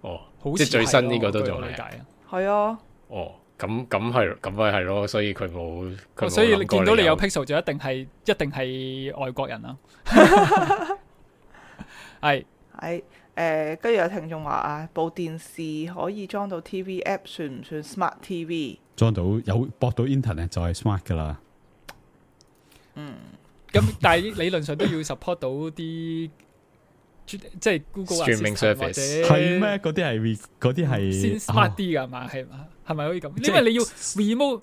哦，好即係最新呢個都仲係。係啊。哦，咁咪係咯，所以佢冇。所以你見到你有 Pixel 就一定係外國人啦。係跟住有聽眾話啊，部電視可以裝到 TV app 算唔算 Smart TV？ 裝到有駁到 internet 就係 smart 噶啦。咁但係理論上都要 support 到啲即係 Google Streaming Service 係咩？嗰啲係先 smart 啲㗎嘛？係咪可以咁？因為你要 remote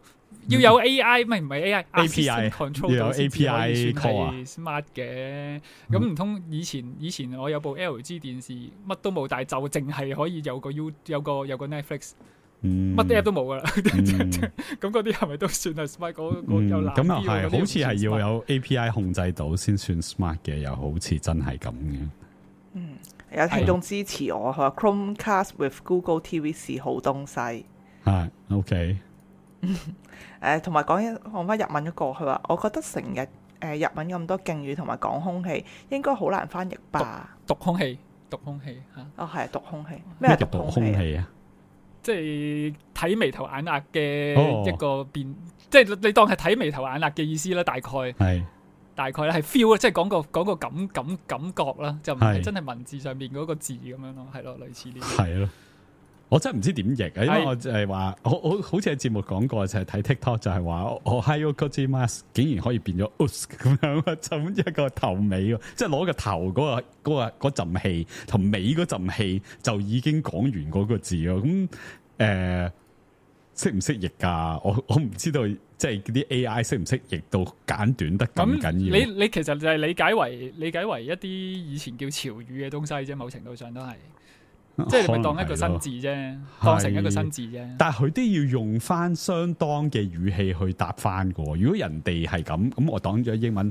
要有 AI，唔係 AI，API control 到先至可以算係 smart 嘅。咁唔通以前我有部 LG 電視乜都冇，但係就淨係可以有個 Netflix，乜 app 都冇噶啦。咁嗰啲係咪都算係 smart？嗰有難啲。咁又係，好似係要有 API 控制到先算 smart 嘅，又好似真係咁嘅。有聽眾支持我，佢話 Chromecast with Google TV 是好東西。係 OK。同埋講翻日文嗰個，佢話我覺得成日日文咁多敬語同埋講空氣，應該好難翻譯吧？讀空氣嚇。哦，係讀空氣。咩係讀空氣啊？即係睇眉頭眼額嘅一個變，即係你當係睇眉頭眼額嘅意思啦。大概咧係 feel 即係講個感覺啦，就唔係真係文字上面嗰個字咁樣咯，係咯，類似呢啲。係咯。我真係唔知點譯啊，因為我就係話，我好似喺節目講過，就係睇 TikTok 就係話，我 Ohio Gozaimasu 竟然可以變咗 us 咁樣，就一個頭尾，即係攞個頭嗰陣氣同尾嗰陣氣就已經講完嗰個字咯。咁識唔識譯㗎？我唔知道，即係啲 AI 識唔識譯到簡短得咁緊要？你其實就係理解為一啲以前叫潮語嘅東西啫，某程度上都係。即係你咪當一個新字啫，當成一個新字啫。但係佢都要用翻相當嘅語氣去答翻嘅。如果人哋係咁我當咗英文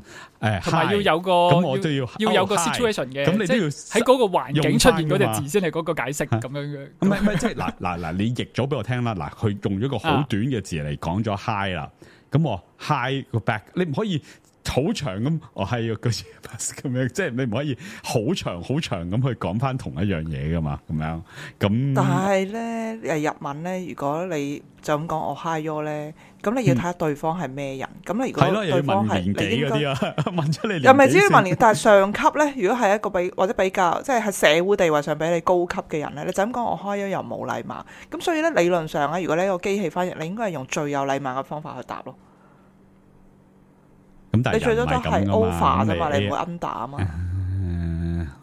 同埋要有個咁我都要有個 situation 嘅。咁你都要喺嗰個環境出現嗰隻字先係嗰個解釋咁樣嘅。唔係即係嗱，你譯咗俾我聽啦。嗱，佢用咗個好短嘅字嚟講咗 hi 啦。咁我 hi 個 back， 你唔可以好長咁，我係個咁樣，即係你唔可以好長咁去講翻同一樣嘢噶嘛，咁樣咁。但係咧，日文咧，如果你就咁講我 hi you 咧，咁你要睇下對方係咩人。咁你如果對方係你應該問出你又唔係至於問年，但係上級咧，如果係一個或者比較即係喺社會地位上比你高級嘅人咧，你就咁講我 hi you 又冇禮貌。咁所以咧，理論上咧，如果你一個機器翻譯，你應該係用最有禮貌嘅方法去答咯。咁但係你最多都係 over 啫嘛，你唔會 under 啊嘛。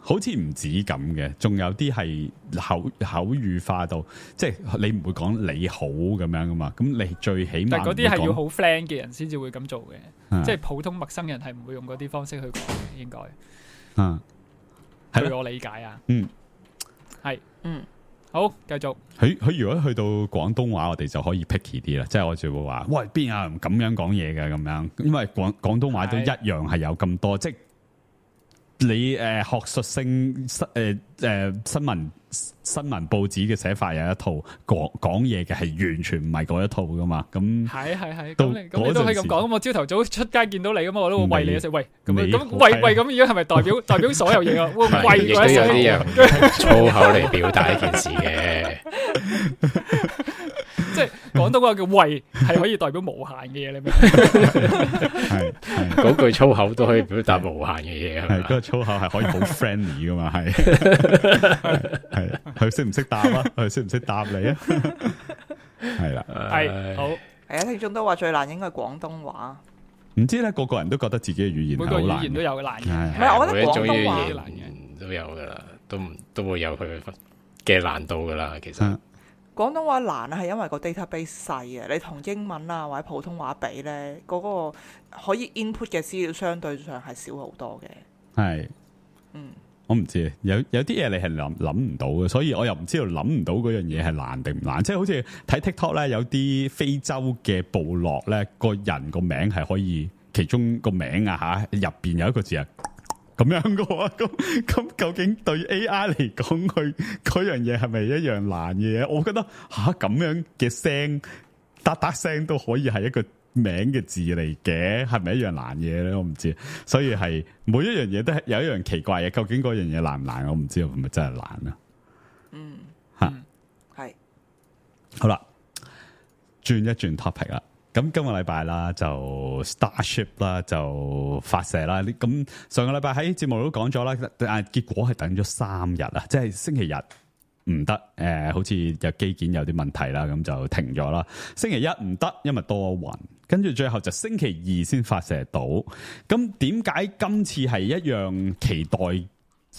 好似唔止咁嘅，仲有啲係口語化到，即係你唔會講你好咁樣噶嘛。咁你最起碼，但係嗰啲係要好 friend 嘅人先至會咁做嘅，即係普通陌生人係唔會用嗰啲方式去講嘅，應該。據我理解啊。係。好，繼續。佢如果去到廣東話，我哋就可以 picky 啲啦，即係我就會話，喂，邊有人咁樣講嘢嘅咁樣？因為廣東話都一樣係有咁多，即係你學術性新聞報紙嘅寫法有一套，講嘢嘅係完全唔係嗰一套噶嘛。咁係，咁你都可以咁講。咁我朝頭早出街見到你咁，我都會餵你一食。喂，咁餵咁，而家係咪代表所有嘢啊？餵亦都有啲人用粗口嚟表達一件事嘅。即係廣東話嘅喂係可以代表無限嘅嘢，你明？係嗰句粗口都可以表達無限嘅嘢，係嗰個粗口係可以好 friendly 噶嘛？係佢識唔識答啊？佢識唔識答你啊？係啦，係好。係啊，聽眾都話最難應該係廣東話。唔知咧，個人都覺得自己嘅語言每個語言都有難嘅。唔係，我覺得廣東話難嘅都有噶啦，都會有佢嘅難度噶啦，其實。廣東話難係因為個 database 細啊，你同英文啊或者普通話比咧，嗰個可以 input 嘅資料相對上係少好多嘅。係，我唔知，有啲嘢你係諗唔到嘅，所以我又唔知道諗唔到嗰樣嘢係難定唔難。即係好似睇 TikTok 咧，有啲非洲嘅部落咧，個人個名係可以其中個名啊嚇入邊有一個字係咁樣嘅喎。咁究竟對 AI 嚟講，佢嗰樣嘢係咪一樣難嘅嘢？我覺得咁樣嘅聲嗒聲都可以係一個名嘅字嚟嘅，係咪一樣難嘢咧？我唔知，所以係每一樣嘢都係有一樣奇怪嘢。究竟嗰樣嘢難唔難？我唔知，係咪真係難啊？係好啦，轉一轉 topic 啦。咁今個禮拜啦，就 Starship 啦，就發射啦。咁上個禮拜喺節目都講咗啦，但係結果係等咗3日啊，即係星期日唔得，好似有機件有啲問題啦，咁就停咗啦。星期一唔得，因為多雲，跟住最後就星期二先發射到。咁點解今次係一樣期待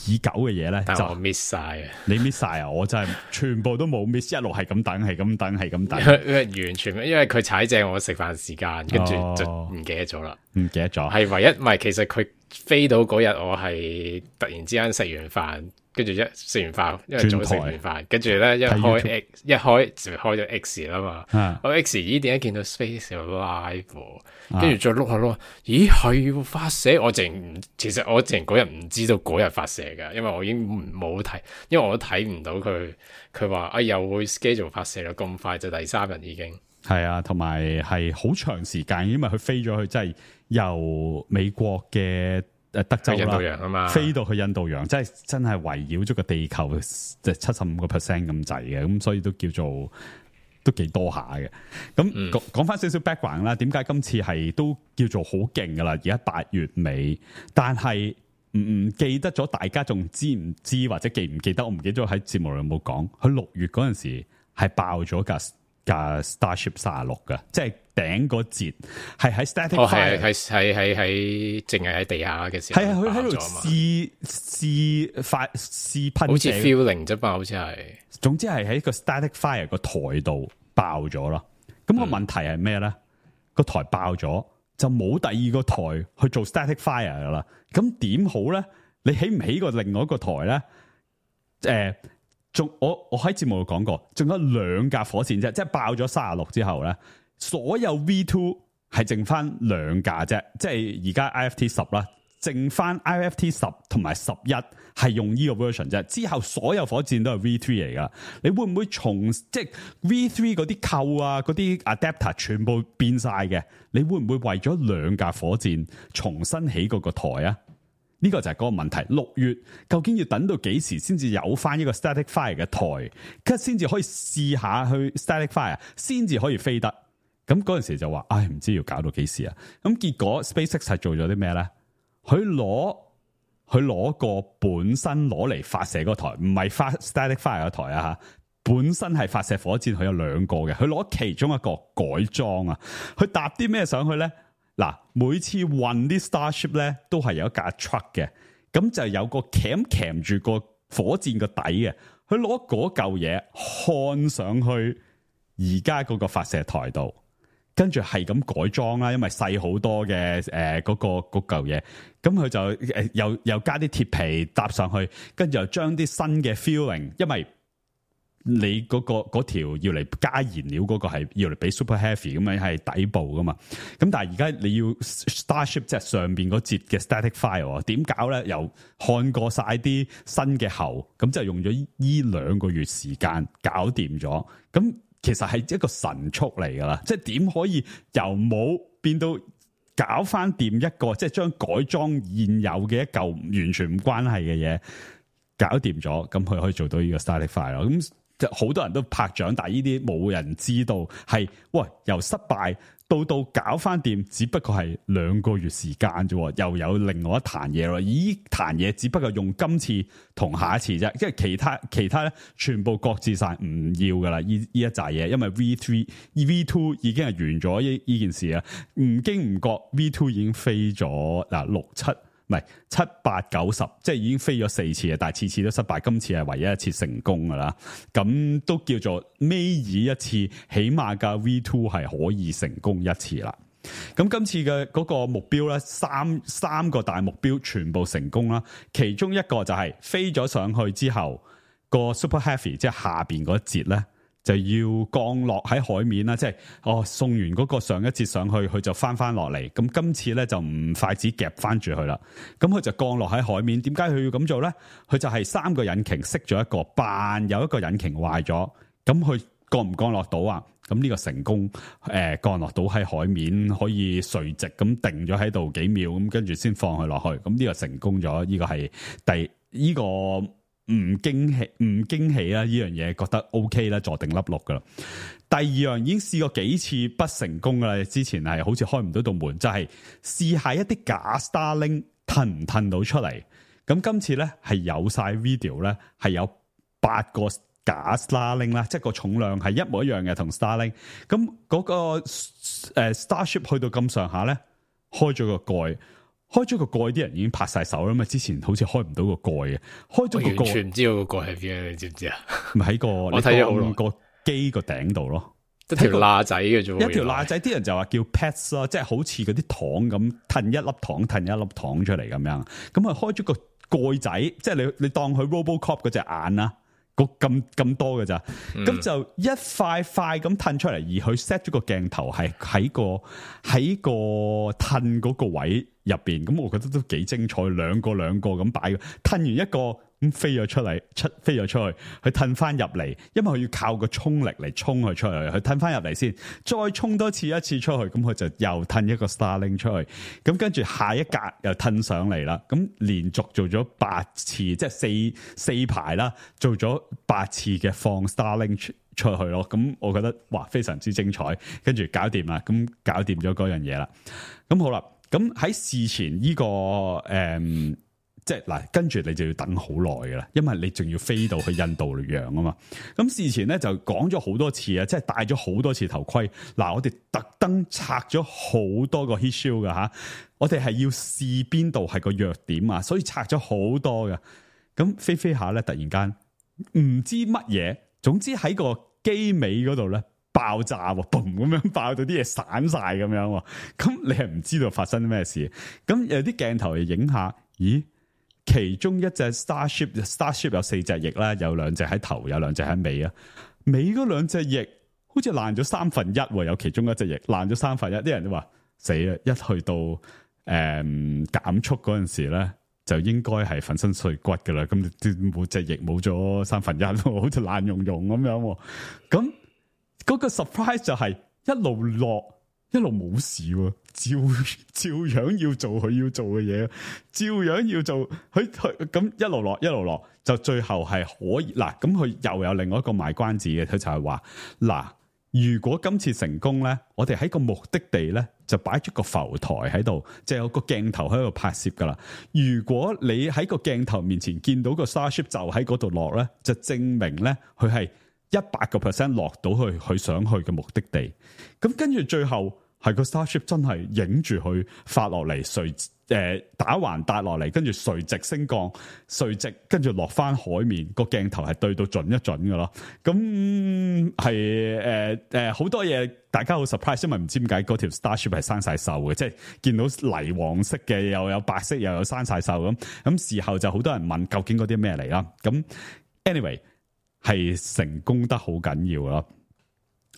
已久嘅嘢咧？但係我 miss 晒啊！你 miss 晒啊！我真係全部都冇 miss， 一路係咁等，係咁等，係咁等。完全，因為佢踩正我食飯時間，跟住就唔記得咗啦。唔記得咗，係唯一唔係，其實佢飛到嗰日，我係突然之間食完飯。跟住食完飯，因為早食完飯，跟住咧一開就開咗 X 啦嘛。我 X 點解見到 Space Live？跟住再碌下碌，咦係要發射？其實我嗰日唔知道嗰日發射噶，因為我已經冇睇，因為我都睇唔到佢話又會 schedule 發射啦，咁快就第3日已經係啊，同埋係好長時間，因為佢飛咗去，即係由美國嘅。德州啦，印度洋啊嘛，飛到去印度洋，真係圍繞咗個地球即係75% 咁滯嘅，咁所以都叫做都幾多下嘅。咁講翻少少 background 啦，點解今次係都叫做好勁噶啦？而家8月尾，但係唔記得咗，大家仲知唔知或者記唔記得？我唔記得咗喺節目裏有冇講，佢6月嗰陣時係爆咗架 Starship 36嘅，即係頂個節係喺 static fire， 係淨係喺地下嘅時候，係佢喺度試噴，好似 feeling 啫嘛，好似係。總之係喺個 static fire 個台度爆咗咯。咁個問題係咩咧？個台爆咗就冇第二個台去做 static fire 噶啦。咁點好咧？你起唔起過另外一個台咧？我喺節目度講過，仲有2架火箭啫，即係爆咗36之後咧，所有 V2 係剩翻2架啫，即係而家 IFT 10啦，剩翻 IFT 10同埋11係用呢個 version 啫，之後所有火箭都係 V3 嚟噶。你會唔會即係 V3 嗰啲扣啊，嗰啲 adapter 全部變晒嘅？你會唔會為咗2架火箭重新起嗰個台啊？呢個就係嗰個問題。6月究竟要等到幾時先至有翻一個 static fire 嘅台，跟住先至可以試下去 static fire， 先至可以飛得。咁嗰陣時就話，唔知要搞到幾時啊？咁結果 SpaceX 係做咗啲咩咧？佢攞個本身攞嚟發射嗰台，唔係發 static fire 嘅台啊吓，本身係發射火箭，佢有2個嘅，佢攞其中一個改裝啊，佢搭啲咩上去咧？嗱，每次運啲 Starship 咧，都係有一架 truck 嘅，咁就有個鉗住個火箭個底嘅，佢攞嗰嚿嘢看上去而家嗰個發射台度，跟住係咁改裝啦，因為細好多嘅嗰嚿嘢，咁佢就又加啲鐵皮搭上去，跟住又將啲新嘅 feeling， 因為你嗰條要嚟加燃料嗰個係要嚟俾 super heavy 咁樣係底部噶嘛，咁但係而家你要 Starship 即係上邊嗰節嘅 static fire 點搞咧？又看過晒啲新嘅喉，咁就用咗呢2個月時間搞掂咗。咁其實係一個神速嚟噶啦，即係點可以由冇變到搞翻掂一個，即係將改裝現有嘅一嚿完全唔關係嘅嘢搞掂咗，咁佢可以做到呢個 static fire 咯。咁好多人都拍掌，但係呢啲冇人知道係由失敗到搞翻掂，只不過係2個月時間啫，又有另外一壇嘢咯。呢壇嘢只不過用今次同下一次啫，因為其他咧全部擱置晒唔要噶啦。呢一紮嘢，因為 V2 已經係完咗呢件事啊，唔經唔覺 V2 已經飛咗6、7。唔係7、8、9、10，即係已經飛咗4次啊！但係次次都失敗，今次係唯一一次成功噶啦。咁都叫做尾二一次，起碼架 V2 係可以成功一次啦。咁今次嘅嗰個目標咧，三個大目標全部成功啦。其中一個就係飛咗上去之後，個 Super Heavy 即係下邊嗰一節咧，就要降落喺海面啦。即係送完嗰個上一節上去，佢就翻落嚟。咁今次咧就唔筷子夾翻住佢啦。咁佢就降落喺海面。點解佢要咁做咧？佢就係3個引擎熄咗一個，扮有一個引擎壞咗。咁佢降唔降落到啊？咁呢個成功降落到喺海面，可以垂直咁定咗喺度幾秒，咁跟住先放佢落去。咁呢個成功咗，呢個係呢個唔驚喜啦！呢樣嘢覺得 OK 啦，坐定粒六噶啦。第二樣已經試過幾次不成功噶啦，之前係好似開唔到道門，就係試下一啲假 Starlink 褪唔褪到出嚟。咁今次咧係有晒 video 咧，係有8個假 Starlink 啦，即係個重量係一模一樣嘅同 Starlink。咁嗰個Starship 去到咁上下咧，開咗個蓋，啲人已經拍晒手啦嘛。之前好似開唔到個蓋嘅，開咗個蓋，完全唔知道個蓋係邊，你知唔知啊？咪喺個我睇咗好耐個機個頂度咯，一條罅仔嘅啫，一條罅仔。啲人就話叫 pets 咯，即係好似嗰啲糖咁，褪一粒糖出嚟咁樣。咁啊開咗個蓋仔，即係你當佢 RoboCop 嗰隻眼啦。咁多嘅咋，咁就一塊塊咁褪出嚟，而佢 set 咗個鏡頭係喺個褪嗰個位入邊，咁我覺得都幾精彩，兩個咁擺嘅，褪完一個咁飛咗出去，佢褪翻入嚟，因為佢要靠個衝力嚟衝佢出去，佢褪翻入嚟先，再衝多一次出去，咁佢就又褪一個 Starlink 出去，咁跟住下一格又褪上嚟啦，咁連續做咗8次，即係四排啦，做咗8次嘅放 Starlink 出去咯，咁我覺得哇非常之精彩，跟住搞掂啦，咁搞掂咗嗰樣嘢啦，咁好啦，咁喺事前呢個即係嗱，跟住你就要等好耐噶啦，因為你仲要飛到去印度洋啊嘛。咁事前咧就講咗好多次啊，即係戴咗好多次頭盔。嗱，我哋特登拆咗好多個 heat shield 噶吓，我哋係要試邊度係個弱點啊，所以拆咗好多嘅。咁飛下咧，突然間唔知乜嘢，總之喺個機尾嗰度咧爆炸喎，嘣咁樣爆到啲嘢散晒咁樣。咁你係唔知道發生咩事？咁有啲鏡頭嚟影下，咦？其中一隻 Starship 有4隻翼啦，有2隻喺頭，有2隻喺尾啊。尾嗰2隻翼好似爛咗1/3，有其中一隻翼爛咗1/3。啲人都話死啦！一去到減速嗰陣時咧，就應該係粉身碎骨噶啦。咁每隻翼冇咗1/3，好似爛溶溶咁樣。咁嗰個 surprise 就係一路落。一路冇事喎，照樣要做佢要做嘅嘢，照樣要做佢咁一路落，就最後係可以嗱。咁佢又有另外一個賣關子嘅，佢就係話嗱，如果今次成功咧，我哋喺個目的地咧就擺咗個浮台喺度，就有個鏡頭喺度拍攝噶啦。如果你喺個鏡頭面前見到個 Starship 就喺嗰度落咧，就證明咧佢係100% 落到去佢想去嘅目的地。咁跟住最後係個 Starship 真係影住佢發落嚟，打橫搭落嚟，跟住垂直升降，垂直跟住落翻海面，個鏡頭係對到準一準嘅咯。咁係好多嘢，大家好 surprise，因為唔知點解嗰條 Starship 係生晒鏽嘅，即係見到泥黃色嘅，又有白色，又有生晒鏽咁。咁事後就好多人問究竟嗰啲咩嚟啦。咁 anyway 係成功得好緊要咯。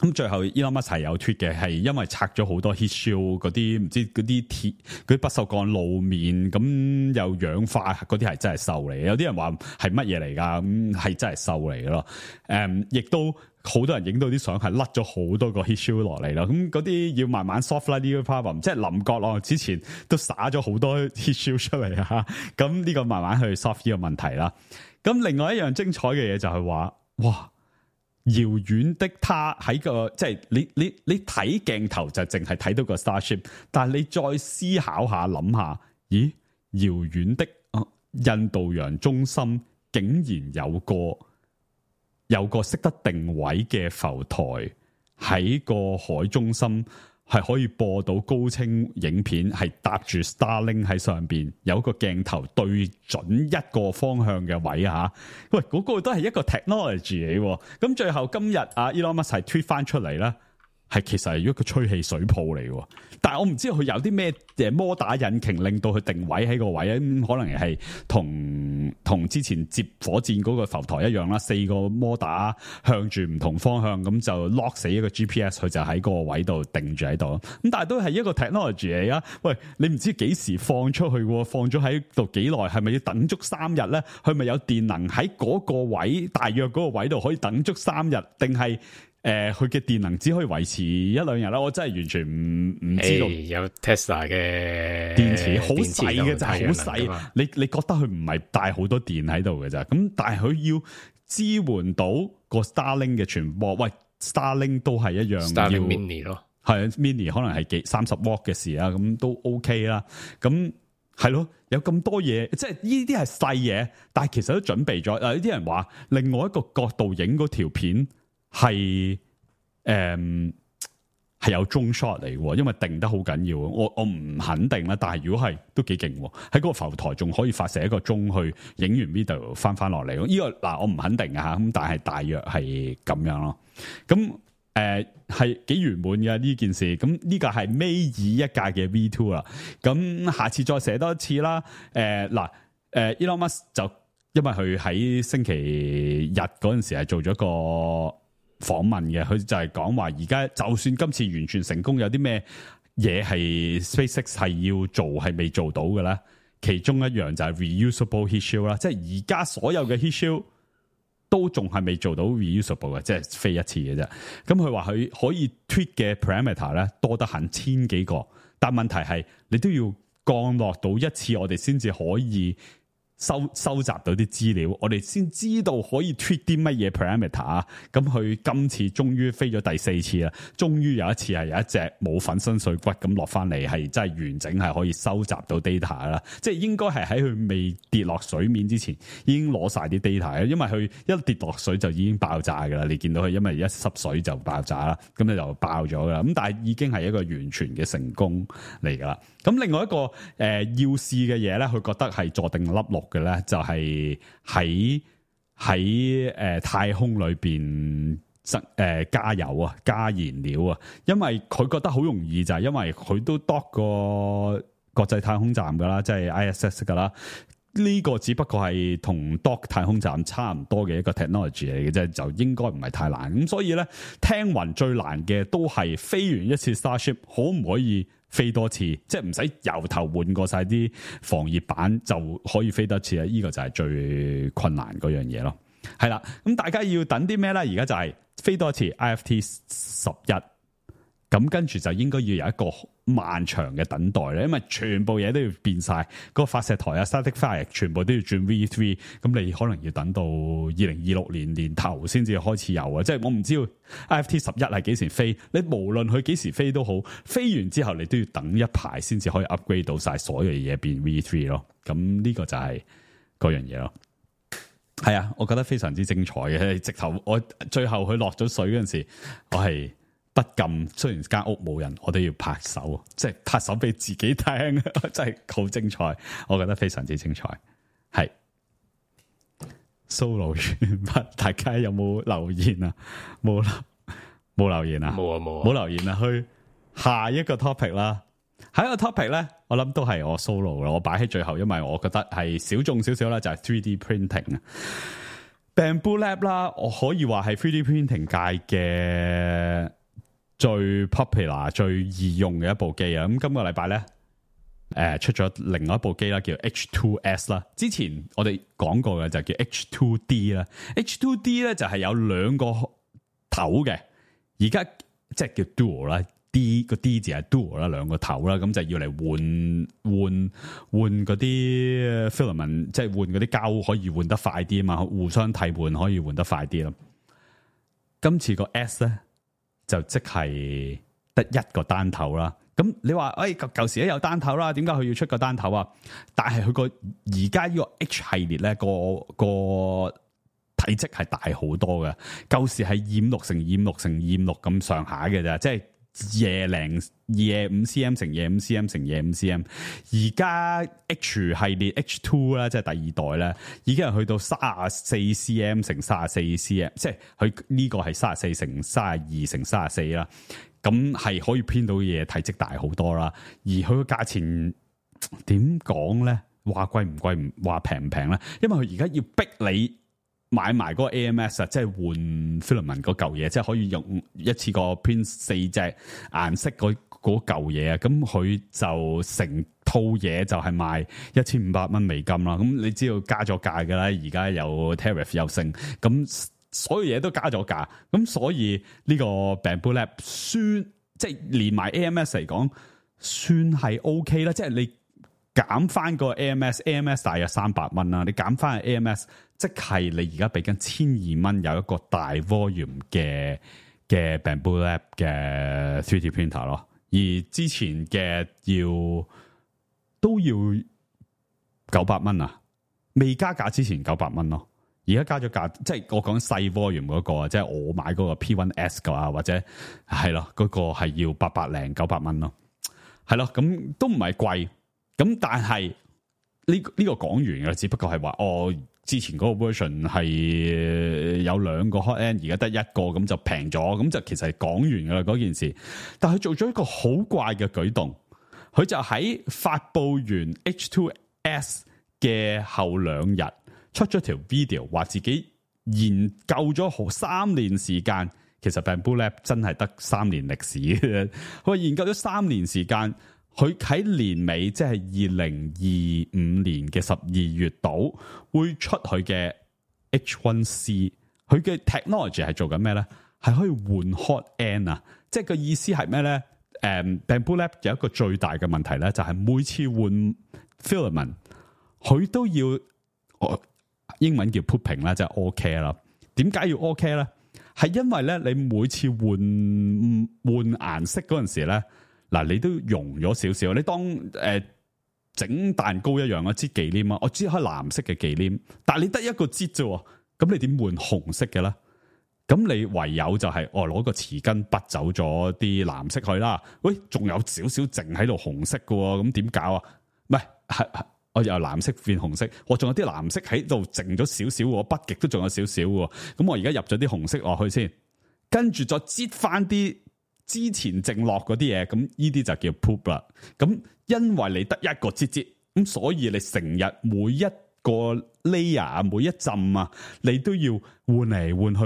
咁最後 Elon Musk 係有 tweet 嘅，係因為拆咗好多 heat shield 嗰啲唔知嗰啲鐵嗰啲不鏽鋼路面，咁又氧化嗰啲係真係鏽嚟嘅。有啲人話係乜嘢嚟㗎？咁係真係鏽嚟嘅咯。亦都好多人影到啲相係甩咗好多個 heat shield 落嚟啦。咁嗰啲要慢慢 soft 啦呢個 problem，即係林國朗之前都灑咗好多 heat shield 出嚟啊。咁呢個慢慢去 soft 呢個問題啦。咁另外一樣精彩嘅嘢就係話，哇！遙遠的他喺個即係你睇鏡頭就淨係睇到個 Starship， 但係你再思考下諗下，咦？遙遠的印度洋中心竟然有個識得定位嘅浮台喺個海中心，係可以播到高清影片，係搭住 Starlink 喺上邊，有個鏡頭對準一個方向嘅位啊！喂，嗰個都係一個 technology 嚟。咁最後今日Elon Musk 係 tweet 翻出嚟啦，係其實係一個吹氣水泡嚟嘅，但係我唔知佢有啲咩摩打引擎令到佢定位喺個位啊，可能係同之前接火箭嗰個浮台一樣啦，4個摩打向住唔同方向，咁就 lock 死一個 GPS， 佢就喺個位度定住喺度。咁但係都係一個 technology 嚟啊！喂，你唔知幾時放出去，放咗喺度幾耐，係咪要等足3日咧？佢咪有電能喺嗰個位，大約嗰個位度可以等足3日，定係？佢嘅電能只可以維持1-2日啦，我真係完全唔知道。有 Tesla 嘅電池好細嘅，就係好細。你覺得佢唔係帶好多電喺度嘅咋？咁但係佢要支援到個 Starlink 嘅傳播。喂 ，Starlink 都係一樣 Starlink Mini 咯，係 Mini 可能係30 W 嘅事啊，咁都 OK 啦。咁係咯，有咁多嘢，即係呢啲係細嘢，但係其實都準備咗。有啲人話另外一個角度影嗰條片。係有中 shot 嚟嘅，因為定得好緊要。我唔肯定啦，但係如果係都幾勁，喺嗰個浮台仲可以發射一個鐘去影完 video 翻落嚟。呢個嗱我唔肯定啊，咁但係大約係咁樣咯。咁係幾圓滿嘅呢件事。咁呢個係尾二一屆嘅 V2 啦。咁下次再寫多一次啦。Elon Musk 就因為佢喺星期日嗰陣時係做咗個訪問嘅，佢就係講話而家就算今次完全成功，有啲咩嘢係 SpaceX 係要做係未做到嘅咧？其中一樣就係 reusable heat shield 啦，即係而家所有嘅 heat shield 都仲係未做到 reusable 嘅，即係飛一次嘅啫。咁佢話佢可以 tweak 嘅 parameter 咧多得很1000幾個，但問題係你都要降落到一次，我哋先至可以收集到啲資料，我哋先知道可以 tweak 啲乜嘢 parameter 啊！咁佢今次終於飛咗第4次啦，終於有一次係有一隻冇粉身碎骨咁落翻嚟，係真係完整係可以收集到 data 啦。即係應該係喺佢未跌落水面之前已經攞晒啲 data，因為佢一跌落水就已經爆炸噶啦。你見到佢因為一濕水就爆炸啦，咁你就爆咗噶啦。咁但係已經係一個完全嘅成功嚟噶啦。咁另外一個要試嘅嘢咧，佢覺得係坐定粒六嘅咧，就係喺太空裏邊加油啊，加燃料啊，因為佢覺得好容易，就係因為佢都 dock 過國際太空站噶啦，即係 ISS 噶啦。呢個只不過係同 dock 太空站差唔多嘅一個 technology 嚟嘅啫，就應該唔係太難。咁所以咧，聽聞最難嘅都係飛完一次 Starship 可唔可以飛多次，即係唔使由頭換過晒啲防熱板就可以飛多次啊！呢個就係最困難嗰樣嘢咯。係啦，咁大家要等啲咩咧？而家就係飛多次 IFT 11，咁跟住就應該要有一個漫長嘅等待咧，因為全部嘢都要變晒，個發射台啊、static fire 全部都要轉 V3，咁你可能要等到2026年年頭先至開始有啊！即係我唔知道 IFT 11係幾時飛，你無論佢幾時飛都好，飛完之後你都要等一排先至可以 upgrade 到晒所有嘢變 V3 咯。咁呢個就係嗰樣嘢咯。係啊，我覺得非常之精彩嘅。直頭我最後佢落咗水嗰陣時，我係不禁，雖然間屋冇人，我都要拍手，即係拍手俾自己聽，真係好精彩，我覺得非常之精彩。係 solo 完畢，大家有冇留言啊？冇留言啊？冇留言啊？去下一個 topic 啦。下一個 topic 咧，我諗都係我 solo 啦，我擺喺最後，因為我覺得係小眾少少啦，就係 3D printing 啊。Bambu Lab 啦，我可以話係 3D printing 界嘅最 popular 最易用嘅一部機啊！咁今個禮拜咧，出咗另外一部機啦，叫 H2S 啦。之前我哋講過嘅就叫 H2D 啦。H2D 咧就係有兩個頭嘅，而家即係叫 dual 啦。D 個 D 字係 dual 啦，兩個頭啦，咁就要嚟換嗰啲 filament， 即係換嗰啲膠可以換得快啲啊嘛，互相替換可以換得快啲咯。今次個 S 咧就即係得一個單頭啦。咁你話舊時咧有單頭啦，點解佢要出個單頭啊？但係佢個而家呢個 H 系列咧個體積係大好多嘅，舊時係256乘256乘256咁上下嘅咋，即係25 cm 乘25 cm 乘25 cm， 而家 H 系列 H2 啦，即係第二代咧，已經係去到34 cm 乘34 cm， 即係佢呢個係34乘32乘34啦，咁係可以編到嘢，體積大好多啦。而佢個價錢點講咧？話貴唔貴，唔話平唔平咧？因為佢而家要逼你買埋嗰個 AMS 啊，即係換 filament 嗰嚿嘢，即係可以用一次過編4隻顏色嗰嚿嘢啊。咁佢就成套嘢就係賣1500蚊美金啦。咁你知道加咗價㗎啦，而家有 tariff 又升，咁所有嘢都加咗價。咁所以呢個 Bambu Lab 算即係連埋 AMS 嚟講，算係 OK 啦。即係你減翻個 AMS 大約300蚊啦，你減翻個 AMS， 即係你而家俾緊1200蚊有一個大 volume 嘅 Bambu Lab 嘅 3D printer 咯，而之前嘅都要900蚊啊，未加價之前900蚊咯，而家加咗價，即係我講細 volume 嗰個，即係我買嗰個 P1S 㗎啊，或者係咯，嗰個係要800 900蚊咯，係咯，咁都唔係貴。咁但係呢個講完嘅，只不過係話之前嗰個 version 係有2個 hot end， 而家得1個，咁就平咗，咁就其實係講完噶啦嗰件事。但係佢做咗一個好怪嘅舉動，佢就喺發佈完 H2S 嘅後2日出咗條 video， 話自己研究咗3年時間。其實 Bambu Lab 真係得3年歷史嘅，佢研究咗3年時間。佢喺年尾，即係2025年嘅12月度，會出佢嘅 H1C。佢嘅 technology 係做緊咩咧？係可以換 hot end 啊！即係個意思係咩咧？Bambu Lab 有一個最大嘅問題咧，就係每次換 filament， 佢都要英文叫 pooping 啦，即係 all care 啦。點解要 all care 咧？係因為咧，你每次換顏色嗰陣時咧。嗱，你都溶咗少少，你當整蛋糕一樣啊，擠忌廉啊，我擠開藍色嘅忌廉，但係你得一個擠啫，咁你點換紅色嘅咧？咁你唯有就係攞個匙羹拔走咗啲藍色去啦。喂，仲有少少剩喺度紅色嘅，咁點搞啊？唔係，我由藍色變紅色，我仲有啲藍色喺度剩咗少少，我筆極都仲有少少嘅，咁我而家入咗啲紅色落去先，跟住再擠翻啲之前剩落嗰啲嘢，咁呢啲就叫 poop 啦。咁因為你得一個擠，咁所以你成日每一個 layer 每一浸啊，你都要換嚟換去，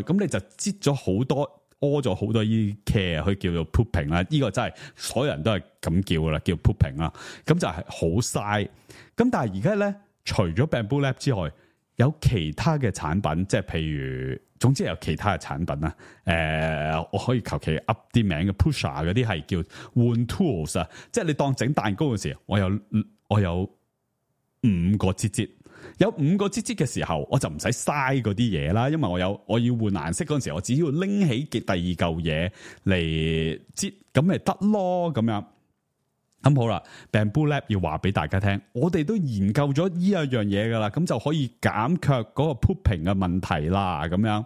咁你就擠咗好多，屙咗好多呢啲 care，佢叫做 pooping 啦。呢個真係所有人都係咁叫噶啦，叫 pooping 啦。咁就係好嘥。咁但係而家咧，除咗 Bambu Lab 之外，有其他嘅產品，即係譬如，總之有其他嘅產品啦。我可以求其 up 啲名嘅 Pusher 嗰啲係叫換 tools 啊，即係你當整蛋糕嘅時候，我有5個擠，有5個擠嘅時候，我就唔使嘥嗰啲嘢啦，因為我要換顏色嗰陣時候，我只要拎起嘅第二嚿嘢嚟擠，咁咪得咯，咁樣。咁好啦 ，Bambu Lab 要話俾大家聽，我哋都研究咗呢一樣嘢噶啦，咁就可以減卻嗰個 pooping 嘅問題啦，咁樣。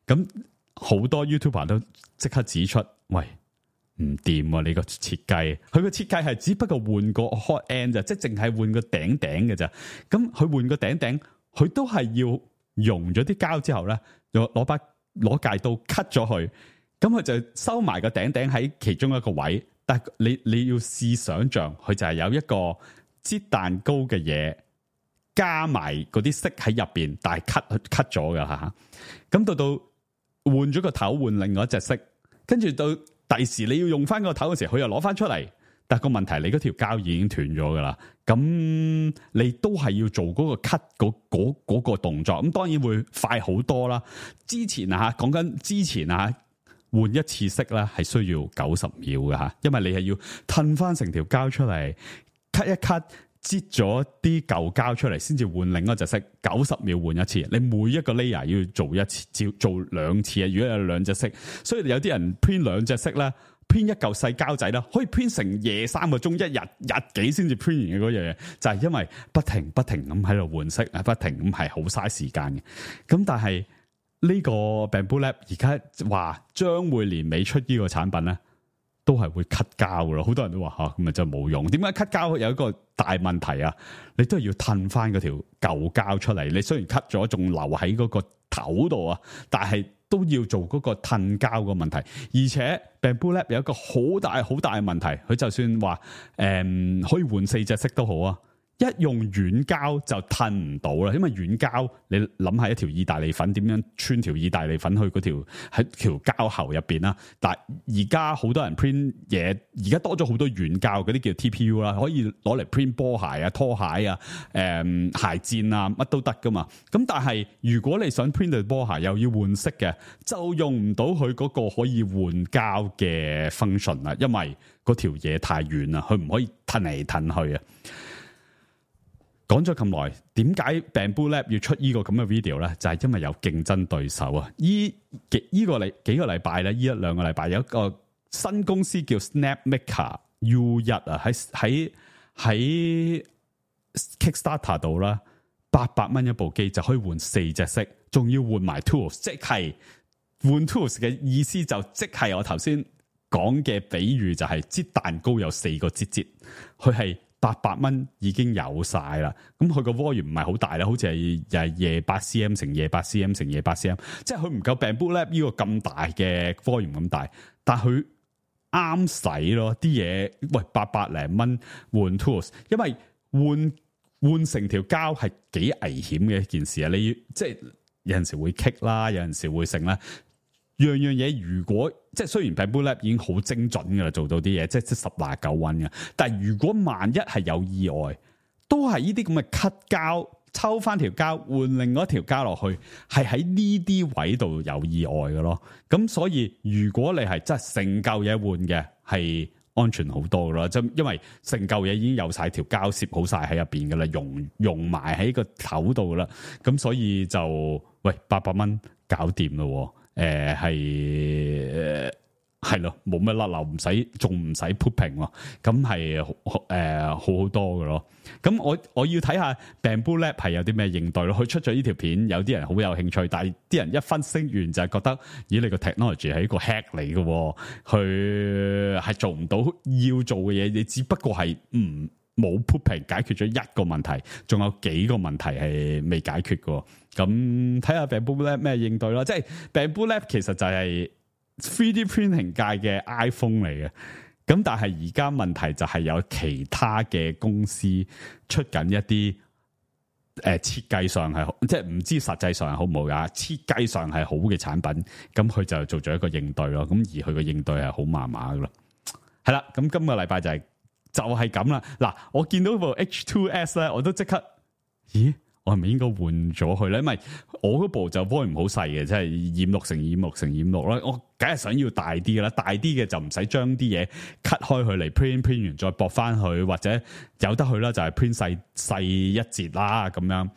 咁好多 YouTuber 都即刻指出，喂，唔掂啊！你個設計，佢個設計係只不過換個 hot end 咋，即係淨係換個頂嘅咋。咁佢換個頂，佢都係要溶咗啲膠之後咧，攞戒刀 cut 咗佢，咁佢就收埋個頂喺其中一個位。但係你要試想像，佢就係有一個擠蛋糕嘅嘢，加埋嗰啲色喺入邊，但係 cut 咗噶吓。咁到換咗個頭，換另外一隻色，跟住到第時你要用翻個頭嘅時候，佢又攞翻出嚟。但係個問題，你嗰條膠已經斷咗噶啦。咁你都係要做嗰個 cut 嗰個動作。咁當然會快好多啦。之前講緊之前換一次色咧，係需要90秒嘅吓，因為你係要褪翻成條膠出嚟 ，cut 一 cut，擠咗啲舊膠出嚟，先至換另一隻色。90秒換一次，你每一個 layer 要做一次，做2次啊！如果有2隻色，所以有啲人 print 2隻色咧，print 一嚿細膠仔啦，可以 print 成夜3個鐘，一日幾先至 print 完嘅嗰樣嘢，就係因為不停咁喺度換色啊，不停咁係好嘥時間嘅。咁但係呢個 Bambu Lab 而家話將會年尾出呢個產品咧，都係會 cut 膠噶咯。好多人都話咁咪真係冇用。點解 cut 膠有一個大問題啊？你都係要褪翻嗰條舊膠出嚟。你雖然 cut 咗，仲留喺嗰個頭度啊，但係都要做嗰個褪膠個問題。而且 Bamboo Lab 有一個好大好大嘅問題，佢就算話可以換4隻色都好啊。一用軟膠就褪唔到啦，因為軟膠你諗下一條意大利粉點樣穿條意大利粉去嗰條喺條膠喉入邊啦。但係而家好多人 print 嘢，而家多咗好多軟膠，嗰啲叫 TPU 啦，可以攞嚟 print 波鞋啊、拖鞋啊、鞋墊啊，乜都得噶嘛。咁但係如果你想 print 對波鞋又要換色嘅，就用唔到佢嗰個可以換膠嘅 function 啦，因為嗰條嘢太軟啦，佢唔可以褪嚟褪去啊。講咗咁耐，點解 Bamboo Lab 要出呢個咁嘅 video 咧？就係因為有競爭對手啊！幾個禮拜咧，呢1-2個禮拜有一個新公司叫 Snapmaker U1 啊，喺 Kickstarter 度啦，800蚊一部機就可以換4隻色，仲要換埋 tools， 即係換 tools 嘅意思就即係我頭先講嘅比喻，就係擠蛋糕有4個擠，佢係800蚊已經有晒啦，咁佢個 volume 唔係好大啦，好似係28 cm 乘28 cm 乘28 cm， 即係佢唔夠 Bamboo Lab 呢個咁大嘅 volume 咁大，但佢啱使咯啲嘢。喂，800零蚊換 tools， 因為換成條膠係幾危險嘅一件事啊！你要即係有陣時會棘啦，有陣時會剩啦。樣嘢如果即係雖然 Bamboo Lab 已經好精準噶啦，做到啲嘢即係10-9溫嘅，但係如果萬一係有意外，都係呢啲咁嘅 cut 膠，抽翻條膠換另外一條膠落去，係喺呢啲位度有意外嘅咯。咁所以如果你係真係成嚿嘢換嘅，係安全好多噶啦，即因為成嚿嘢已經有晒條膠攝好晒喺入邊噶啦，溶埋喺個頭度啦。咁所以就喂800蚊搞掂咯。係咯，冇乜甩漏，仲唔使 putting 喎，咁係好多嘅咯。咁我要睇下 Bamboo Lab 係有啲咩應對咯。佢出咗呢條片，有啲人好有興趣，但係啲人一分析完就係覺得，咦，你個 technology 係一個 hack 嚟嘅，佢係做唔到要做嘅嘢，你只不過係冇 putting 解決咗一個問題，仲有幾個問題係未解決嘅。咁睇下 Bamboo Lab 咩應對咯。即係 Bamboo Lab 其實就係 3D printing 界嘅 iPhone 嚟嘅。咁但係而家問題就係有其他嘅公司出緊一啲設計上係好，即係唔知實際上係好唔好噶，設計上係好嘅產品，咁佢就做咗一個應對咯。咁而佢個應對係好麻麻噶咯。係啦，咁今個禮拜就係咁啦。嗱，我見到部 H2S 咧，我都即刻，咦？我係咪應該換咗佢咧？因為我嗰部就 volume 好細嘅，即係26乘26乘26啦。我梗係想要大啲嘅啦，大啲嘅就唔使將啲嘢 cut 開佢嚟 print 完再駁翻去，或者有得去啦，就係 print 細一截啦咁樣。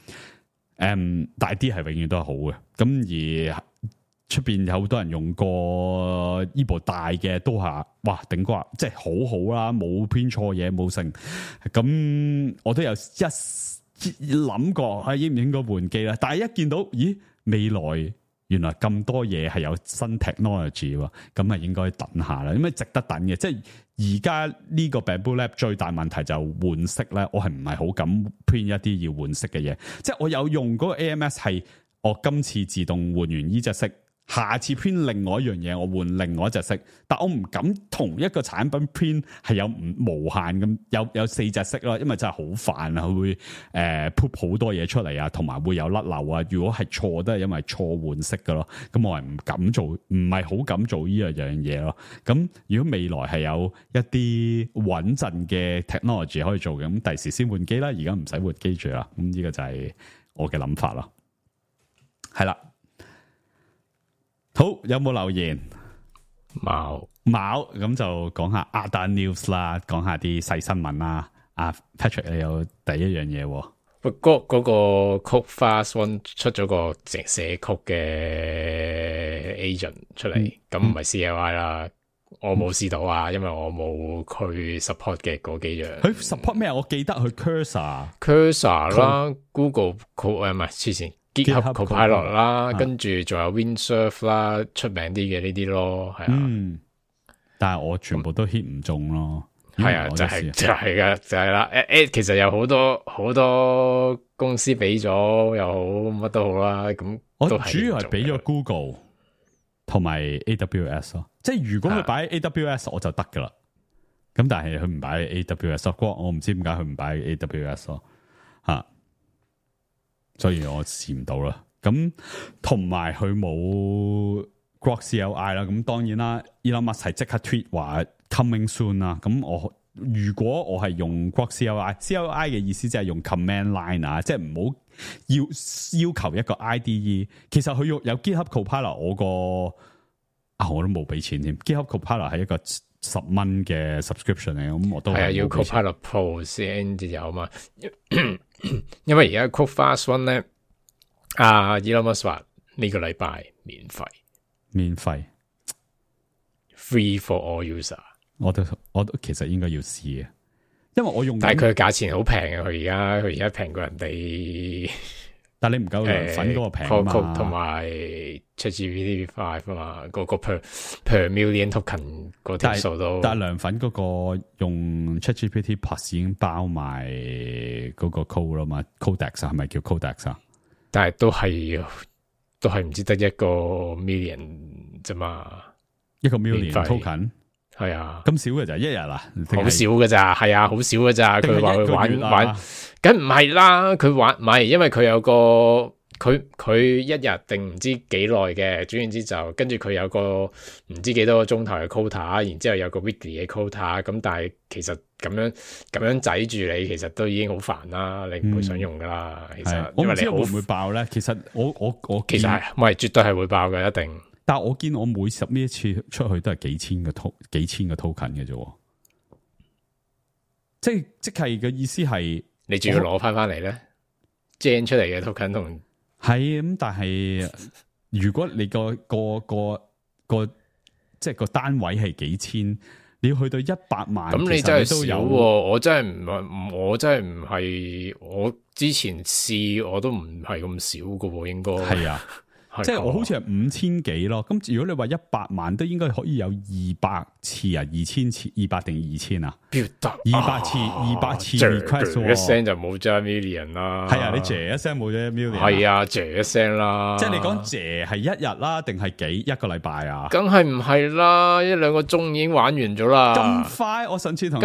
大啲係永遠都係好嘅。咁而出邊有好多人用過呢部大嘅，都係哇頂呱，即係好好啦，冇 print 錯嘢，冇剩。咁我都有諗過應唔應該換機啦，但係一見到咦，未來原來咁多嘢係有新 technology 喎，咁啊應該等下啦，因為值得等嘅。即係而家呢個 Bamboo Lab 最大問題就換色咧，我係唔係好敢 print 一啲要換色嘅嘢。即係我有用嗰個 AMS 係，我今次自動換完呢隻色，下次 print 另外一樣嘢，我換另外一隻色，但我唔敢同一個產品 print 係有無限咁有4隻色咯，因為真係好煩啊，佢會put 好多嘢出嚟啊，同埋會有甩漏啊。如果係錯都係因為錯換色噶咯，咁我係唔敢做，唔係好敢做呢樣嘢咯。咁如果未來係有一啲穩陣嘅 technology 可以做嘅，咁第時先換機啦，而家唔使換機住啦。咁呢個就係我嘅諗法咯。係啦。好，有冇留言？冇，咁就講下 other news 啦，講下啲細新聞啦。阿 Patrick 你有第一樣嘢，嗰個 Code Fast One 出咗個寫曲嘅 agent 出嚟，咁唔係 CLI 啦，我冇試到啊，因為我冇去 support 嘅嗰幾樣。佢 support 咩？我記得佢 Cursor 啦 ，Google 唔係之前。GitHub Copilot 啦，跟住仲有 Windsurf 啦，出名啲嘅呢啲咯，係啊。但係我全部都 hit 唔中咯。係啊，就係噶，就係啦。其實有好多公司俾咗又好，乜都好啦。咁我主要係俾咗 Google 同埋 AWS 咯。即係如果佢擺 AWS 我就得噶啦。咁但係佢唔擺 AWS， 我唔知點解佢唔擺 AWS 咯。吓，所以我試唔到啦。咁同埋佢冇 Grok CLI 啦。咁當然啦 ，Elon Musk 係即刻 tweet 話 coming soon 啦。咁如果我係用 Grok CLI 嘅意思即係用 command line 啊，即係唔好要求一個 IDE。其實佢有 GitHub Copilot， 我都冇俾錢添。GitHub Copilot 係一個$10嘅 subscription 嚟，咁我都係要 Copilot Pro 先至有嘛。因為而家 Copilot One 咧，Elon Musk 話呢個禮拜免費 ，free for all user。我都其實應該要試嘅，因為我用，但係佢嘅價錢好平啊！佢而家平過人哋，但係你唔夠涼粉嗰個平啊嘛，同埋 ChatGPT 5啊嘛，個 per million token 嗰條數都，但係涼粉嗰個用 ChatGPT Plus 已經包埋嗰個 code 啦嘛 ，Codex 係咪叫 Codex 啊？但係都係唔知得一個 million 啫嘛，一個 million token。係啊，咁少嘅咋，一日啊，好少嘅咋，係啊，好少嘅咋。佢話佢玩，梗唔係啦。佢玩唔係，因為佢有個佢一日定唔知幾耐嘅，總言之就跟住佢有個唔知幾多個鐘頭嘅 quota， 然之後有個 weekly 嘅 quota。咁但係其實咁樣擠住你，其實都已經好煩啦。你唔會想用噶啦。其實我唔知會唔會爆咧。其實我其實係唔係絕對係會爆嘅，一定。但係我見我每submit一次出去都係幾千個 token 嘅啫，即係嘅意思係你仲要攞翻嚟咧 ，gen 出嚟嘅 token 同係咁，但係如果你個即係個單位係幾千，你要去到100萬，咁你真係都有。我真係唔係，我之前試我都唔係咁少噶，應該係啊。即係我好似係5000幾咯，咁如果你話100萬都應該可以有200次啊，2000次，200定2000啊？200次 request 一聲就冇咗 million 啦。係啊，你謝一聲冇咗million。係啊，謝一聲啦。即係你講謝係1日啦，定係一個禮拜啊？梗係唔係啦，1-2個鐘已經玩完咗啦。咁快？我上次同你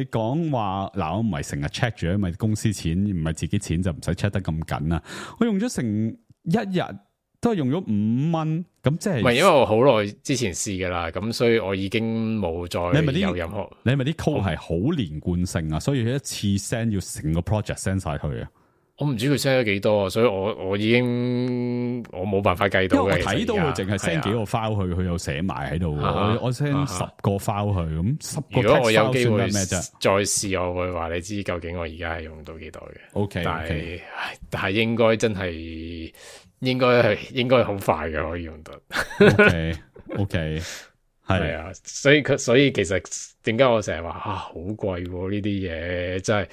講話嗱，我唔係成日 check 住，因為公司錢唔係自己錢就唔使 check 得咁緊啊。我用咗成1日都係用咗5蚊，咁即係唔係因為我好耐之前試噶啦，咁所以我已經冇再有任何。你係咪啲 code 係好連貫性啊？所以一次 send 要成個 project send 晒去啊？我唔知佢 send 咗幾多，所以我已經我冇辦法計到嘅。因為我睇到佢淨係 send 幾個 file 去，佢又寫埋喺度。我 send 10個 file 去，咁10個 text file 算咩啫？如果我有機會再試，我會話你知究竟我而家係用到幾多嘅。OK，但係應該真係應該好快嘅，可以用到。OK，係啊，所以其實點解我成日話好貴呢啲嘢，真係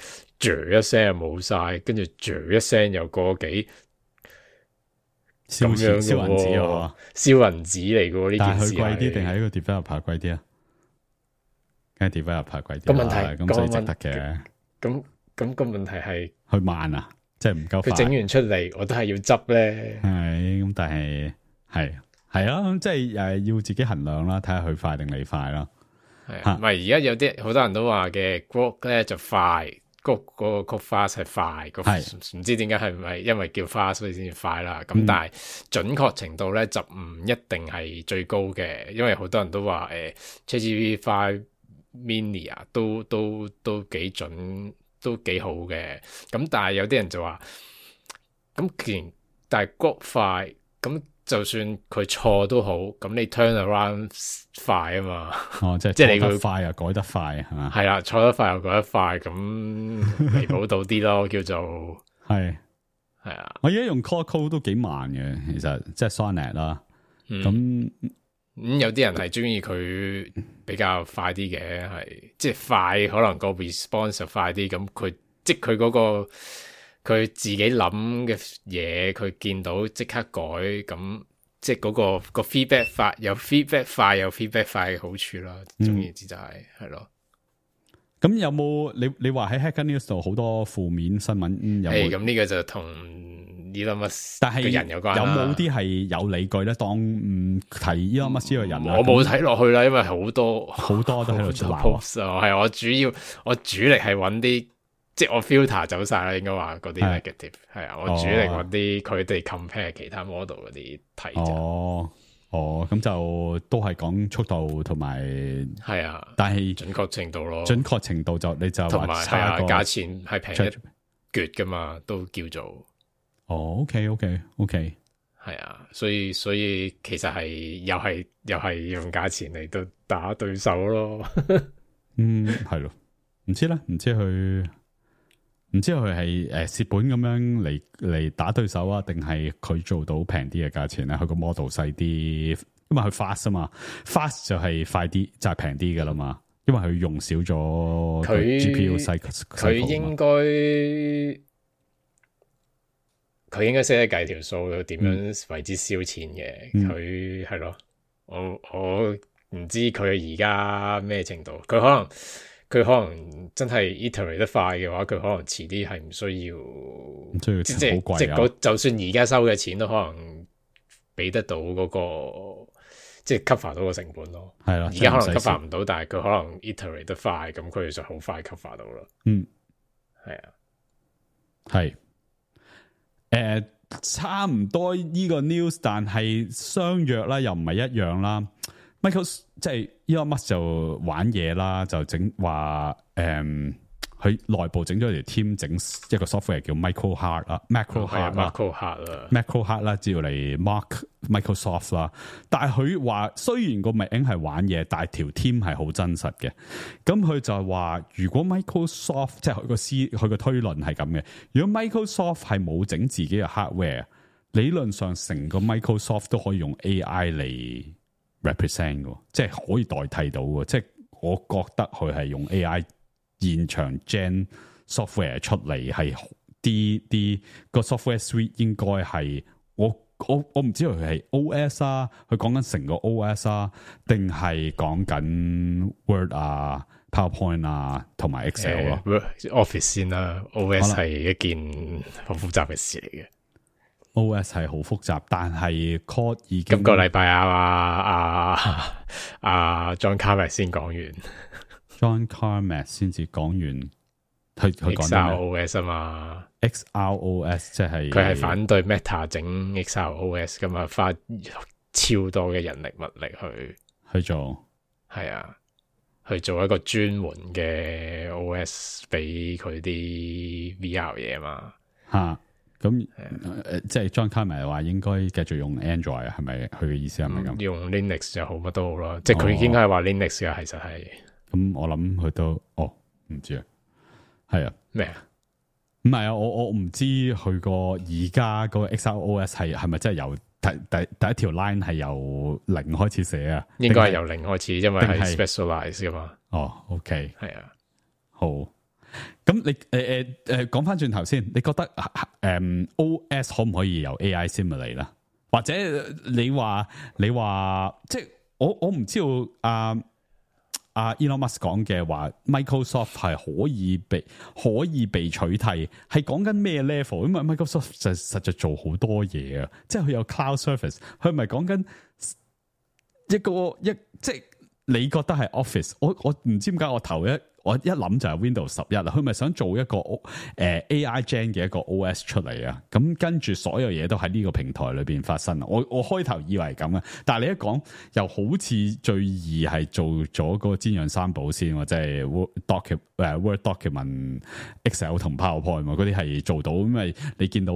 一聲又冇晒，跟住一聲又個幾咁樣嘅喎，燒銀紙嚟嘅喎呢件事。但係佢貴啲定係呢個 developer 貴啲啊？梗係 developer 貴啲。個問題咁所以值得嘅。咁個問題係佢慢啊，即係唔夠快。佢整完出嚟，我都係要執咧。係咁，但係係啊，即係要自己衡量啦，睇下佢快定你快啦。係唔係而家有啲好多人都話嘅 Grok 咧就快。嗰個 fast 係快，唔知點解係咪因為叫 fast 所以先至快啦？咁但係準確程度咧就唔一定係最高嘅，因為好多人都話ChatGPT 5 Mini 啊，都幾準，都幾好嘅。咁但係有啲人就話，咁既然但係 Grok 快咁。就算佢錯都好，咁你 turn around 快啊嘛。哦，即係你佢快又改得快係嘛？係啦，錯得快又改得快，咁彌補到啲咯，叫做係啊。我而家用 Claude Code 都幾慢嘅，其實即係 Sonnet 啦。咁有啲人係中意佢比較快啲嘅，係即係快，可能個 response 就快啲。咁佢即係佢嗰個。佢自己諗嘅嘢，佢見到即刻改，咁即係嗰個 feedback 快，有 feedback 快有 feedback 快嘅好處啦。總言之就係咯。咁有冇你話喺 Hacker News 度好多負面新聞有冇？咁呢個就同 Elon Musk 但係嘅人有關啦。有冇啲係有理據咧？當提 Elon Musk 呢個人，我冇睇落去啦，因為好多都喺度出鬧。係我主力係揾啲，即係我 filter 走晒啦，應該話嗰啲 negative 係啊，我主力揾啲佢哋 compare 其他 model 嗰啲睇啫。咁就都係講速度同埋係啊，但係準確程度咯，準確程度就你就同埋係啊，價錢係平一橛噶嘛，都叫做OK，係啊，所以其實係又係用價錢嚟到打對手咯。係咯，唔知佢係蝕本咁樣嚟打對手啊，定係佢做到平啲嘅價錢咧？佢個 model 細啲，因為佢 fast 啊嘛 ，fast 就係快啲，就係平啲噶啦嘛。因為佢用少咗佢 GPU 佢應該識得計條數，點樣為之燒錢嘅。佢係咯，我唔知佢而家咩程度，佢可能真係 iterate 得快嘅話，佢可能遲啲係唔需要，即係就算而家收嘅錢都可能俾得到嗰個，即係 cover 到個成本咯。係啦，而家可能 cover 唔到，但係佢可能 iterate 得快，咁佢就好快 cover 到啦。係啊，係，差唔多呢個 news， 但係相約啦，又唔係一樣啦。Michael 即係 Elon Musk 就玩嘢啦，就整話佢內部整咗條 team 整一個 software 叫 Macro Heart 啦 ，Macro Heart 啦，只要嚟 mark Microsoft 啦。但係佢話雖然個名係玩嘢，但係條 team 係好真實嘅。咁佢就話如果 Microsoft 即係佢個推論係咁嘅，如果 Microsoft 係冇整自己嘅 hardware， 理論上成個 Microsoft 都可以用 AI 嚟 represent 嘅，即係可以代替到嘅。即係我覺得佢係用 AI 現場 gen software 出嚟，係啲個 software suite 應該係我唔知佢係 OS 啊，佢講緊成個 OS 啊，定係講緊 Word 啊、PowerPoint 啊同埋 Excel 咯。Office 先啦 ，OS 係一件好複雜嘅事嚟嘅。OS 係好複雜，但係 code 已經今個禮拜John Carmack 先講完。John Carmack 先至講完，佢講 XROS 啊嘛 ，XROS 即係佢係反對 Meta 整 XROS 噶嘛，花超多嘅人力物力去做，係啊，去做一個專門嘅 OS 俾佢啲 VR 嘢嘛，咁即係 John Carmack 話應該繼續用 Android 啊，係咪佢嘅意思係咪咁？用 Linux 就好，乜都好啦，即係佢應該係話 Linux 嘅，其實係。咁我諗佢都唔知啊，係啊咩啊？唔係啊，我唔知佢個而家個 XROS 係咪真係由第一條 line 係由零開始寫啊？應該係由零開始，因為係 specialize 噶嘛。OK，係啊，好。咁你講翻轉頭先，你覺得OS 可唔可以由 AI simulate 啦？或者你話即係我唔知道Elon Musk 講嘅話 Microsoft 係可以被取替，係講緊咩 level？因為 Microsoft 實在做好多嘢啊，即係佢有 cloud service， 佢唔係講緊即係你覺得係 Office， 我唔知點解我一諗就係 Windows 11啦，佢咪想做一個AI gen 嘅一個 OS 出嚟啊？咁跟住所有嘢都喺呢個平台裏邊發生。我開頭以為係咁啊，但係你一講又好似最易係做咗個煎釀三寶先，即係 Word document、Excel 同 PowerPoint 嗰啲係做到，因為你見到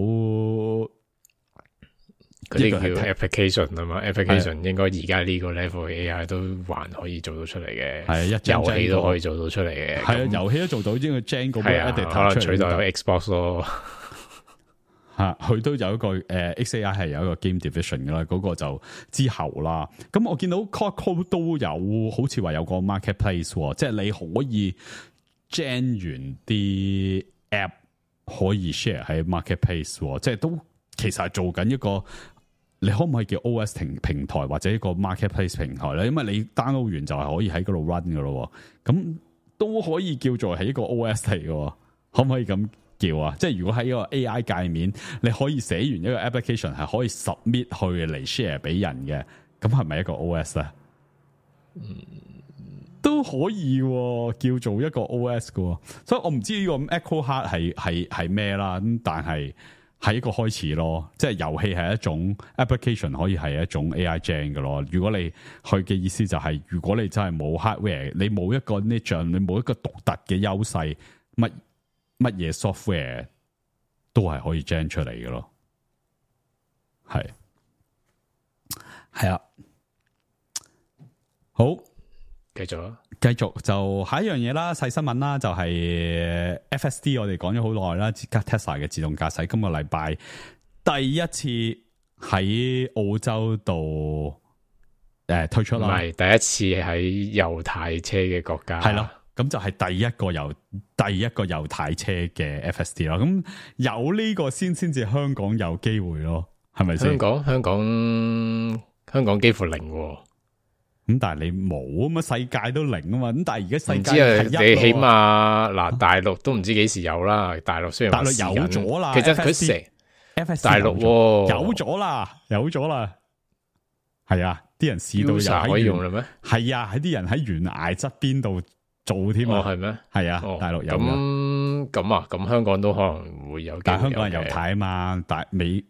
嗰啲叫 application 啊嘛 ，application 應該而家呢個 level 嘅 AI 都還可以做到出嚟嘅，係遊戲都可以做到出嚟嘅，係啊，遊戲都做到，因為 Gen 嗰個 editor 可能取代咗 Xbox 咯，佢都有一個XAI 係有一個 game division 噶啦，嗰個就之後啦。咁我見到 Code 都有，好似話有個 marketplace， 即係你可以 gen 完啲 app 可以 share 喺 marketplace， 即係都其實係做緊一個。你可唔可以叫 OS 平台或者一個 marketplace 平台咧？因為你 download 完就係可以喺嗰度 run 噶咯，咁都可以叫做係一個 OS 嚟嘅，可唔可以咁叫啊？即係如果喺一個 AI 界面，你可以寫完一個 application 係可以 submit 去嚟 share 俾人嘅，咁係咪一個 OS 咧？都可以叫做一個 OS 嘅，所以我唔知呢個 Echo Heart 係咩啦，咁但係。係一個開始咯，即係遊戲係一種 application， 可以係一種 AI gen 嘅咯。如果你去嘅意思就係、是，如果你真係冇 hardware， 你冇一個 niche， 你冇一個獨特嘅優勢，乜嘢 software 都係可以 gen 出嚟嘅咯。係啊，好。繼續就下一樣嘢啦，細新聞啦，就係 FSD， 我哋講咗好耐啦，Tesla 嘅自動駕駛今個禮拜第一次喺澳洲度推出啦，唔係第一次喺右軚車嘅國家，係咯，咁就係第一個右軚車嘅 FSD 啦，咁有呢個先至香港有機會咯，係咪先？香港幾乎零喎。咁但係你冇啊嘛，世界都零啊嘛。咁但係而家世界你起碼嗱，大陸都唔知幾時有啦。大陸雖然大陸有咗啦，其實佢成大陸有咗啦，係啊，啲人試到又可以用啦咩？係啊，喺啲人喺懸崖側邊度做添啊，係咩？係啊，大陸有咁香港都可能會有，但係香港係右軚啊嘛，大陸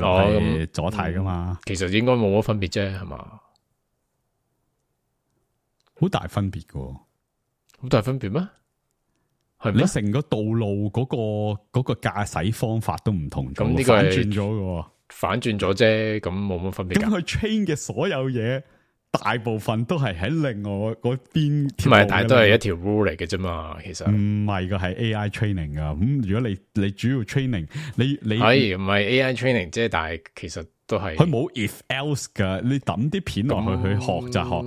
係左軚噶嘛，其實應該冇乜分別啫，係嘛？好大分別噶，好大分別咩？係你成個道路嗰個駕駛方法都唔同咗，咁呢個反轉咗噶，反轉咗啫，咁冇乜分別。咁佢 train 嘅所有嘢，大部分都係喺另外嗰邊，唔係，但係都係一條 rule 嚟嘅啫嘛。其實唔係噶，係 AI training 噶。咁如果你主要 training，你係唔係 AI training 啫？但係其實都係佢冇 if else 噶。你抌啲片落去學就學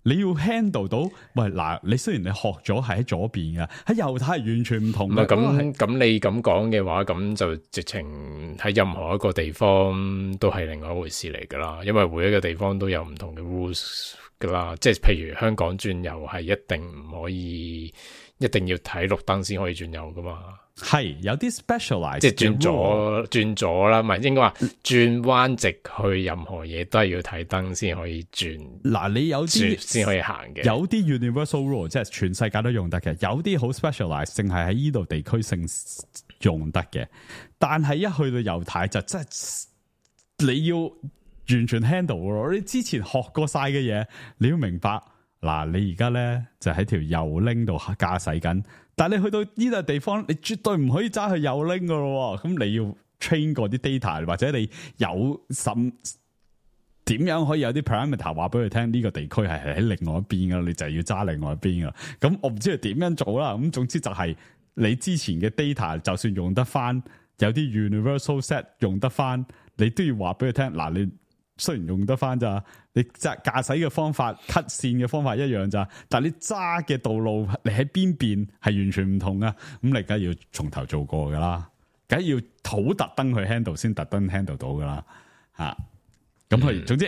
你要 handle 到，喂嗱，你雖然你學咗係喺左邊嘅，喺右軚係完全唔同嘅。咁你咁講嘅話，咁就直情喺任何一個地方都係另外一回事嚟噶啦。因為每一個地方都有唔同嘅 rules 噶啦。即係譬如香港轉右係一定唔可以，一定要睇綠燈先可以轉右噶嘛。係有啲 specialized， 即係轉左啦，唔係應該話轉彎直去任何嘢都係要睇燈先可以轉。嗱，你有啲先可以行嘅，有啲 universal rule 即係全世界都用得嘅，有啲好 specialized，淨係喺呢度地區性用得嘅。但係一去到右軚就真係你要完全 handle 咯。你之前學過晒嘅嘢，你要明白。嗱，你而家咧就喺條右拎度駕駛緊。但係你去到呢個地方，你絕對唔可以揸去右拎噶咯。咁你要 train 過啲 data， 或者你有點樣可以有啲 parameter 話俾佢聽呢個地區係喺另外一邊噶，你就要揸另外一邊噶。咁我唔知佢點樣做啦。咁總之就係你之前嘅 data 就算用得翻，有啲 universal set 用得翻，你都要話俾佢聽。嗱，你雖然用得翻咋，你駕駛嘅方法 cut 線嘅方法一樣咋，但係你揸嘅道路你喺邊邊係完全唔同啊！咁你梗係要從頭做過噶啦，梗係要好特登去 handle 先特登 handle 到噶啦吓。咁佢總之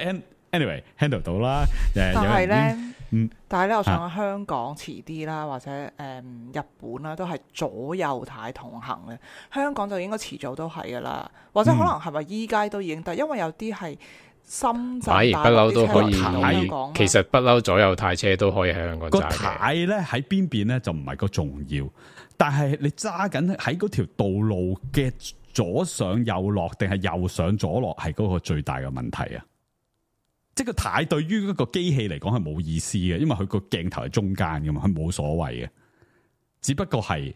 anyway handle 到啦。但係咧，但係咧，我想香港遲啲啦，或者日本啦，都係左右軚同行嘅。香港就應該遲早都係噶啦，或者可能係咪依家都已經得？因為有啲係。深圳不嬲都可以，其實不嬲左右軚車都可以喺香港揸嘅。個軚咧喺邊邊咧就唔係個重要，但係你揸緊喺嗰條道路嘅左上右落定係右上左落係嗰個最大嘅問題啊！即係個軚對於嗰個機器嚟講係冇意思嘅，因為佢個鏡頭係中間噶嘛，佢冇所謂嘅。只不過係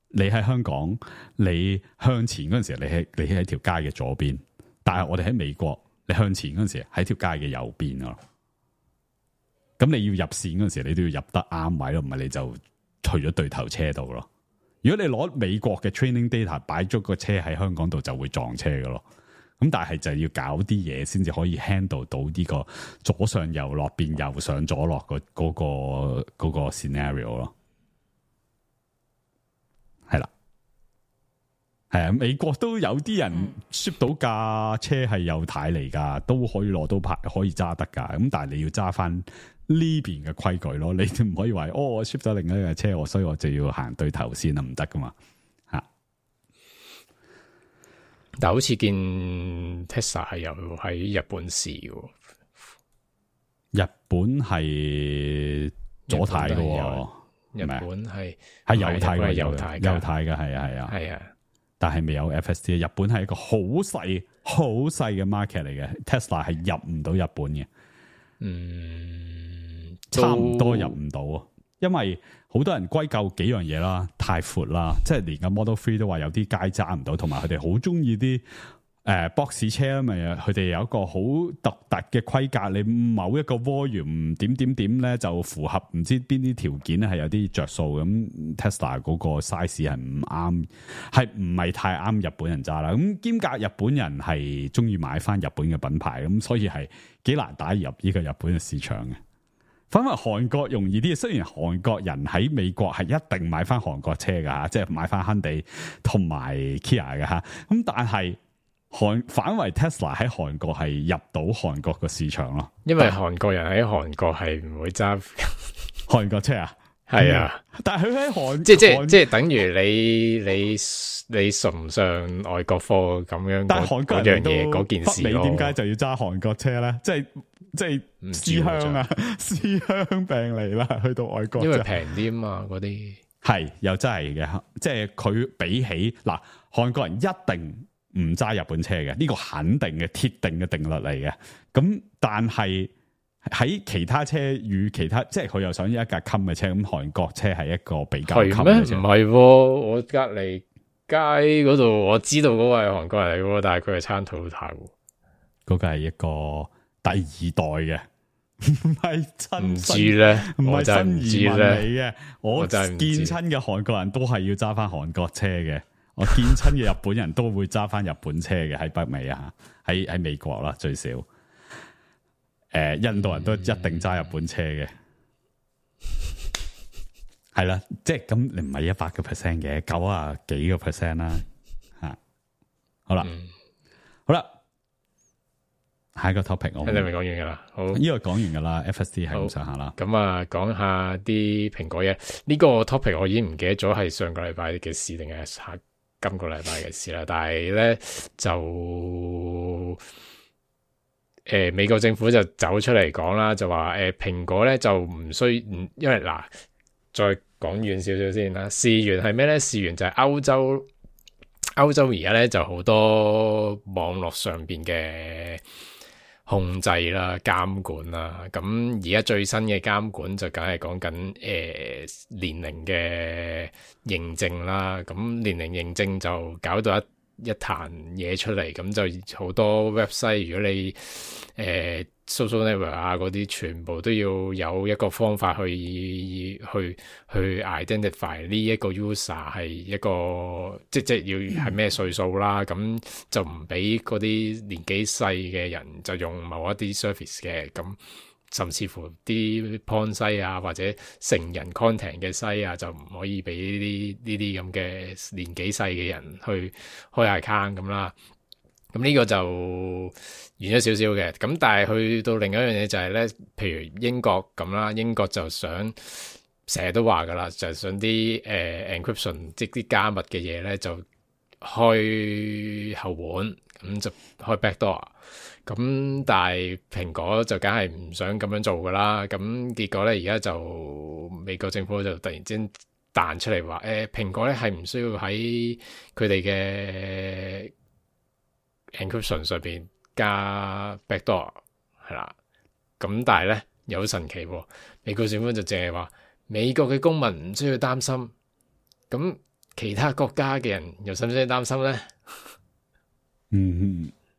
你喺香港，你向前嗰陣時，你喺條街嘅左邊，但係我哋喺美國。你向前嗰陣時喺條街嘅右邊咯，咁你要入線嗰陣時，你都要入得啱位咯，唔係你就去咗對頭車度咯。如果你攞美國嘅 training data 擺咗個車喺香港度，就會撞車噶咯。咁但係就要搞啲嘢先至可以 handle 到呢個左上右落變右上左落嗰個 scenario 咯。係啦，係啊，美國都有啲人 ship 到架車係有軚嚟噶，都可以攞到牌，可以揸得噶。咁但係你要揸翻呢邊嘅規矩咯，你唔可以話我 ship 咗另一架車，所以我就要行對頭先啊，唔得噶嘛吓。但好似見 Tesla 係有喺日本試嘅，日本係左軚嘅，日本係右軚嘅，右軚嘅係啊。但係未有 FSD， 日本係一個好細嘅 market 嚟嘅 ，Tesla 係入唔到日本嘅，差唔多入唔到啊，因為好多人歸咎幾樣嘢啦，太闊啦，即係連個 Model 3都話有啲街揸唔到，同埋佢哋好中意啲box 車啊嘛，佢哋有一個好獨特嘅規格，你某一個 volume 點咧就符合唔知邊啲條件咧係有啲着數咁 Tesla 嗰個 size 係唔啱，係唔係太啱日本人揸啦？咁兼夾日本人係中意買翻日本嘅品牌，咁所以係幾難打入呢個日本嘅市場嘅。反為韓國容易啲，雖然韓國人喺美國係一定買翻韓國車噶吓，即係買翻Hyundai同埋 Kia 嘅吓，咁但係反為 Tesla 喺韓國係入到韓國個市場咯，因為韓國人喺韓國係唔會揸韓國車啊，係啊，但係佢喺韓即係等於你崇唔上外國貨咁樣，但係韓國人都嗰件事你點解就要揸韓國車咧？即係思鄉啊，思鄉病嚟啦，去到外國因為平啲啊嘛，嗰啲係又真係嘅，即係佢比起嗱韓國人一定唔揸日本車嘅，呢個肯定嘅鐵定嘅定律嚟嘅。咁但係喺其他車與其他，即係佢又想要一架襟嘅車，咁韓國車係一個比較襟嘅車。唔係，我隔籬街嗰度我知道嗰個係韓國人嚟嘅，但係佢係撐Toyota嘅，嗰個係一個第二代嘅，唔係真。唔知咧，唔係新移民嚟嘅。我真係見親嘅韓國人都係要揸翻韓國車嘅。我見親嘅日本人都會揸翻日本車嘅，喺北美啊，喺美國啦最少。印度人都一定揸日本車嘅，係啦，即係咁你唔係100%嘅，90幾個 percent 啦，吓，好啦，好啦，下一個 topic 我你咪講完噶啦，好，呢個講完噶啦 ，FSD 係咁上下啦，咁啊，講下啲蘋果嘢，呢個 topic 我已經唔記得咗係上個禮拜嘅事定係今個禮拜嘅事啦，但係咧就美國政府就走出嚟講啦，就話蘋果咧就唔需，因為嗱再講遠少少先啦，事源係咩咧？事源就係歐洲而家咧就好多網絡上邊嘅控制啦、監管啦，咁而家最新嘅監管就梗係講緊年齡嘅認證啦，咁年齡認證就搞到一壇嘢出嚟，咁就好多 website， 如果你social network 啊嗰啲，全部都要有一個方法去 identify 呢一個 user 係一個即要係咩歲數啦，咁就唔俾嗰啲年紀細嘅人就用某一啲 service 嘅，咁甚至乎啲 porn 西啊或者成人 content 嘅西啊就唔可以俾呢啲咁嘅年紀細嘅人去開 account 咁啦。咁呢個就遠咗少少嘅，咁但係去到另一樣嘢就係咧，譬如英國咁啦，英國就想成日都話噶啦，就係想啲encryption 即啲加密嘅嘢咧就開後門，咁就開 backdoor。咁但係蘋果就梗係唔想咁樣做噶啦，咁結果咧而家就美國政府就突然之間彈出嚟話，蘋果咧係唔需要喺佢哋嘅encryption 上邊加 backdoor 係啦，咁但係咧有神奇喎，美國政府就淨係話美國嘅公民唔需要擔心，咁其他國家嘅人又使唔使擔心咧？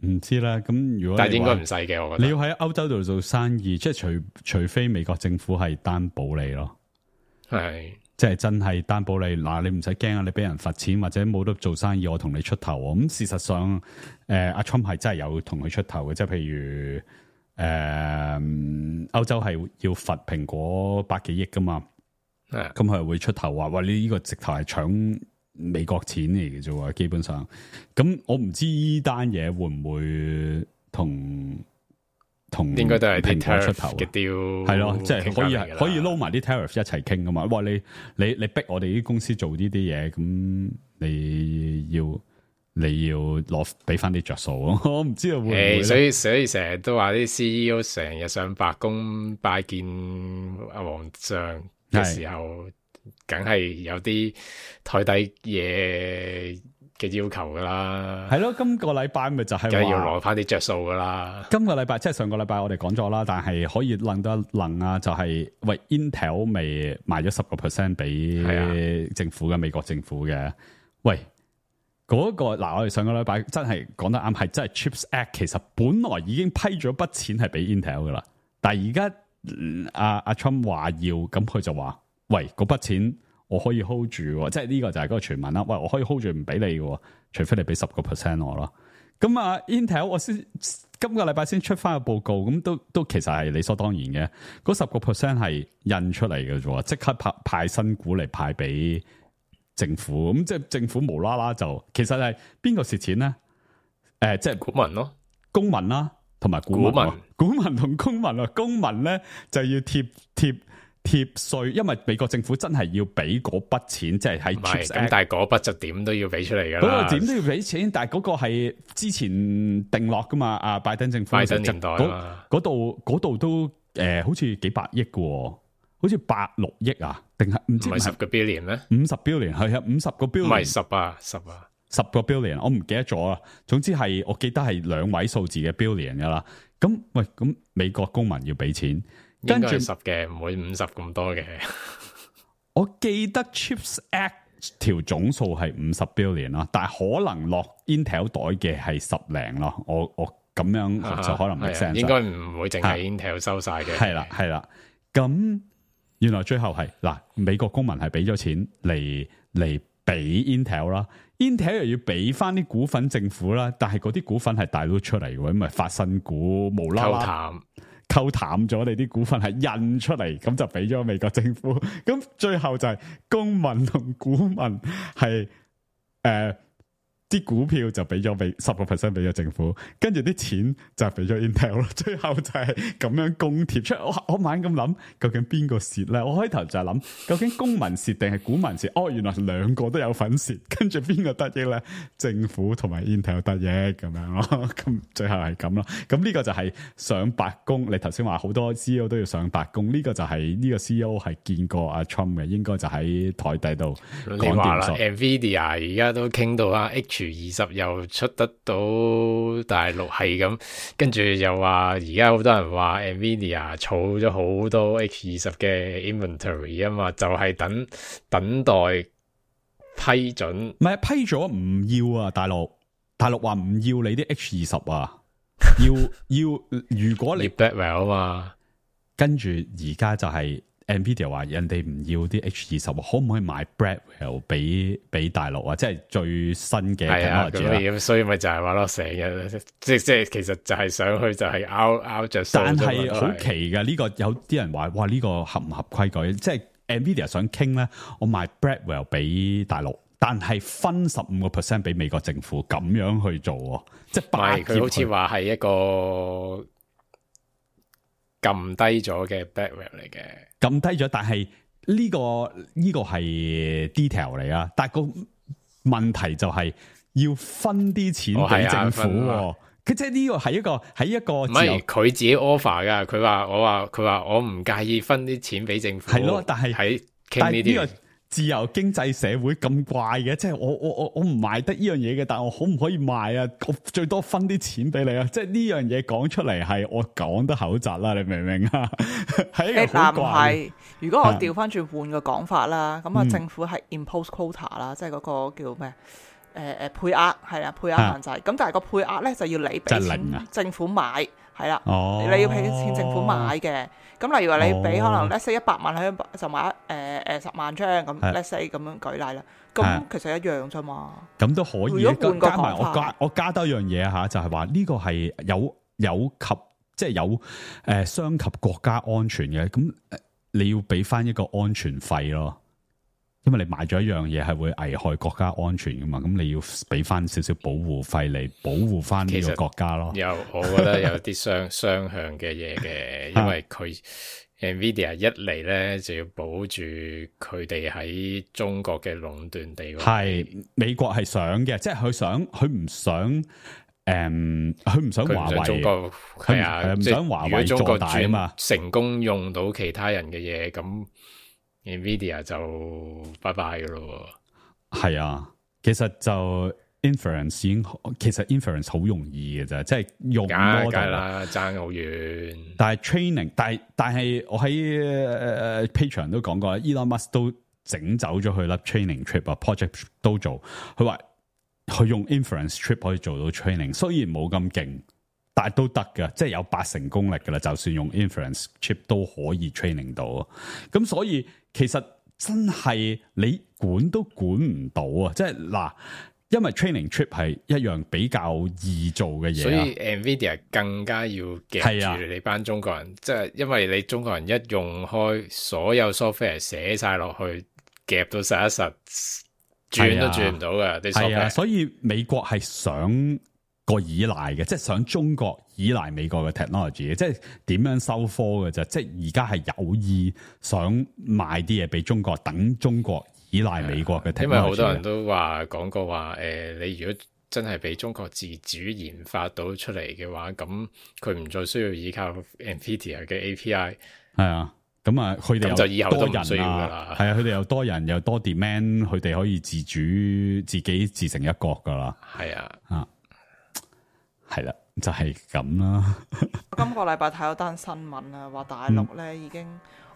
唔知啦，咁如果但係應該唔使嘅，我覺得你要喺歐洲度做生意，即係除非美國政府係擔保你咯，係即係真係擔保你嗱，你唔使驚啊，你俾人罰錢或者冇得做生意，我同你出頭喎。咁事實上，阿 Trump 係真係有同佢出頭嘅，即係譬如歐洲係要罰蘋果100幾億噶嘛，咁佢係會出頭話，喂，你呢個直頭係搶美國錢嚟嘅啫喎，基本上。咁我唔知呢單嘢會唔會同應該都係蘋果出頭嘅 deal，係咯，即係可以撈埋啲 tariff 一齊傾噶嘛。哇！你逼我哋啲公司做呢啲嘢，咁你要攞俾翻啲着數咯。我唔知道會唔會所以成日都話啲 CEO 成日上白宮拜見阿皇上嘅時候，梗係有啲台底嘢嘅要求噶啦。係咯，今個禮拜咪就係梗係要攞翻啲着數噶啦。今個禮拜即係上個禮拜我哋講咗啦，但係可以諗得諗啊，就係喂 Intel 未賣咗10% 俾政府嘅美國政府嘅。喂，嗰個嗱，我哋上個禮拜真係講得啱，係真係 Chips Act 其實本來已經批咗筆錢係俾 Intel 噶啦，但係而家阿 Trump 話要，咁佢就話喂，嗰筆錢我可以 hold 住，即係呢個就係嗰個傳聞啦。喂，我可以 hold 住唔俾你嘅，除非你俾10% 我咯。咁啊 Intel 我先今個禮拜先出翻個報告，咁都其實係理所當然嘅。嗰10% 係印出嚟嘅啫，即刻派新股嚟派俾政府。咁即係政府無啦啦就，其實係邊個蝕錢咧？即係股民咯，公民啦，同埋股民同公民啊，公民咧就要貼稅，因為美國政府真係要俾嗰筆錢，即係喺 Chips Act。咁但係嗰筆就點都要俾出嚟噶啦。嗰個點都要俾錢，但係嗰個係之前定落噶嘛。阿拜登政府拜登年代嗰度都好似幾百億嘅，好似86億啊，定係唔知係10個 billion 咩？50 billion 係啊，50個 billion 唔係10個 billion， 我唔記得咗啊。總之係我記得係2位數字嘅 billion 噶啦。咁喂，咁美國公民要俾錢。應該係10嘅，唔會50咁多嘅。我記得 Chips Act 條總數係50 billion 啦，但係可能落 Intel 袋嘅係10零咯。我咁樣就可能 make sense。應該唔會淨係 Intel 收晒嘅。係啦。咁原來最後係嗱，美國公民係俾咗錢嚟俾 Intel 啦 ，Intel 又要俾翻啲股份政府啦，但係嗰啲股份係大佬出嚟嘅，因為發新股無啦啦溝淡咗你啲股份係印出嚟，咁就俾咗美國政府。咁最後就係公民同股民係啲股票就俾咗10% 俾咗政府，跟住啲錢就俾咗 Intel 咯。最後就係咁樣公貼出嚟。我猛咁諗，究竟邊個蝕咧？我開頭就係諗，究竟公民蝕定係股民蝕？哦，原來兩個都有份蝕，跟住邊個得益咧？政府同埋 Intel 得益咁樣咯。咁最後係咁咯。咁呢個就係上白宮。你頭先話好多 CEO 都要上白宮，呢個就係呢個 CEO 係見過阿 Trump 嘅，應該就喺台底度講掂數。Nvidia 而家都傾到啊 H20 又出得到大陸係咁，跟住又話而家好多人話 Nvidia 儲咗好多 H20 嘅 inventory 啊嘛，就係等待批准。唔係批咗唔要啊，大陸話唔要你啲 H20 啊，要如果你 Blackwell 啊嘛，跟住而家就係。Nvidia 話人哋唔要啲 H20，可唔可以買 Blackwell 俾大陸啊？即係最新嘅 technology 咁所以咪就係話咯，成日即係其實就係上去就係拗着數。但係好奇嘅呢個，有啲人話哇呢個合唔合規矩？即係 Nvidia 想傾咧，我賣 Blackwell 俾大陸，但係分15% 俾美國政府，咁樣去做，即係佢好似話係一個撳低咗嘅 Blackwell 嚟嘅。撳低咗，但係呢個係 detail 嚟啊！但係個問題就係要分啲錢俾政府，佢即係呢個係一個唔係佢自己 offer 噶，佢話我唔介意分啲錢俾政府，係咯，但係喺傾呢啲。自由經濟社會咁怪嘅，即係我唔賣得呢樣嘢嘅，但係我可唔可以賣啊？我最多分啲錢俾你啊！即係呢樣嘢講出嚟係我講得口窒啦，你明唔明啊？係一個好怪嘅。如果我調翻轉換個講法啦，咁啊政府係 impose quota 啦，即係嗰個叫咩？配額係啦，配額限制。咁但係個配額咧就要你俾錢政府買，係啦，你要俾錢政府買嘅。咁例如話你俾可能 let's say 100萬喺就買10萬張咁 let's say 咁樣舉例啦，咁其實一樣啫嘛。咁都可以。如果換個加埋我加多一樣嘢嚇，就係話呢個係有及即係有傷及國家安全嘅，咁你要俾翻一個安全費咯。因為你買咗一樣嘢係會危害國家安全噶嘛，咁你要俾翻少少保護費嚟保護翻呢個國家咯。我覺得有啲雙向嘅嘢嘅，因為佢 Nvidia 一嚟咧就要保住佢哋喺中國嘅壟斷地位。係美國係想嘅，即係佢唔想。佢唔想華為，中國係啊，唔想華為做大啊嘛。成功用到其他人嘅嘢，咁 Nvidia 就拜拜噶咯。係啊，其實就 inference 其實 inference 好容易嘅啫，即係用 model 啦，爭好遠。但係 training， 但係我喺Patreon 都講過 Elon Musk 都整走咗佢粒 training chip 啊 ，project 都做，佢話。佢用 inference chip 可以做到 training， 雖然冇咁勁，但係都得㗎，即係有80%功力噶啦。就算用 inference chip 都可以 training 到，咁所以其實真係你管都管唔到啊！即係嗱，因為 training chip 係一樣比較易做嘅嘢，所以 Nvidia 更加要夾住你班中國人，即係因為你中國人一用開所有 software 寫晒落去，夾到實一實。轉都轉唔到嘅，係啊，所以美國係想個依賴嘅，即係想中國依賴美國嘅 technology 嘅，即係點樣收科嘅啫。即係而家係有意想賣啲嘢俾中國，等中國依賴美國嘅 technology。因為好多人都講過話，你如果真係俾中國自主研發到出嚟嘅話，咁佢唔再需要依靠 Nvidia 嘅 API。係啊。咁啊，佢哋就以後都唔需要噶啦。係啊，佢哋又多人又多 demand， 佢哋可以自己自成一國噶啦。係啊，係啦，就係咁啦。今個禮拜睇咗單新聞啊，話大陸咧已經，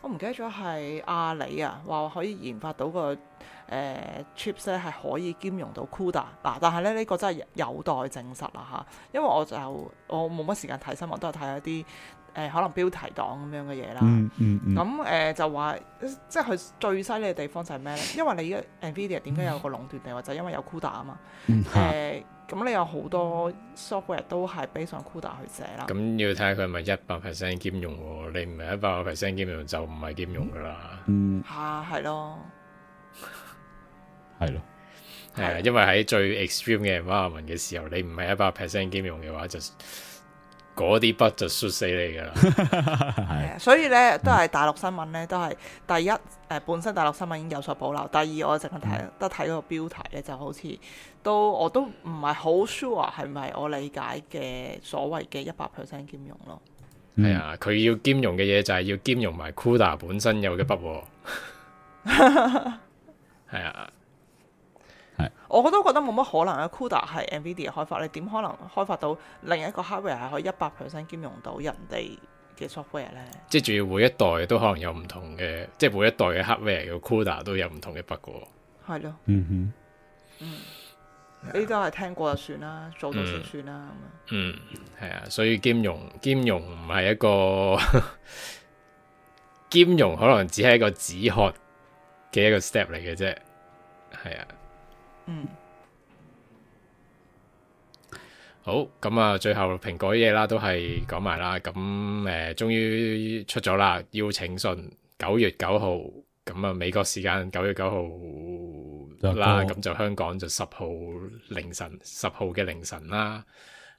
我唔記得咗係阿里啊，話可以研發到個chips 咧係可以兼容到 CUDA 嗱，但係咧呢個真係有待證實啦嚇，因為我冇乜時間睇新聞，都係睇一啲。可能標題黨咁樣嘅嘢啦，咁就話即係佢最犀利嘅地方就係咩咧？因為你而家 Nvidia 點解有個壟斷地位，就係因為有 CUDA 啊嘛。咁你有好多 software 都係 based on CUDA 去寫啦。咁要睇下佢係咪100% 兼容喎？你唔係100% 兼容就唔係兼容噶啦。係咯，係咯，係啊，因為喺最 extreme 嘅 environment 嘅時候，你唔係100% 兼容嘅話就。嗰啲筆就摔死你噶啦，係啊，所以咧都係大陸新聞咧，都係第一本身大陸新聞已經有所保留，第二我淨係睇嗰個標題咧，就好似我都唔係好 sure 係咪我理解嘅所謂嘅100% 兼容咯。係啊，佢要兼容嘅嘢就係要兼容埋 CUDA 本身有嘅筆，係啊。我都覺得冇乜可能啊 CUDA 係 Nvidia 開發，你點可能開發到另一個 hardware 係可以100% 兼容到人哋嘅 software 咧？即係仲要每一代都可能有唔同嘅，即係每一代嘅 hardware 嘅 CUDA 都有唔同嘅筆嘅。係咯，呢啲都係聽過就算啦，做到先算啦咁樣。係啊，所以兼容唔係一個兼容，可能只係一個止渴嘅一個 step 嚟嘅啫。係啊。好，咁啊，最後蘋果嘢啦，都係講埋啦。咁終於出咗啦，邀請信9月9號，咁啊美國時間9月9號啦，咁就香港就10號嘅凌晨啦，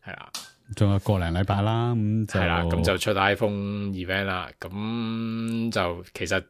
係啦，仲有個零禮拜啦，咁就係啦，咁就出 iPhone event 啦，咁就其實。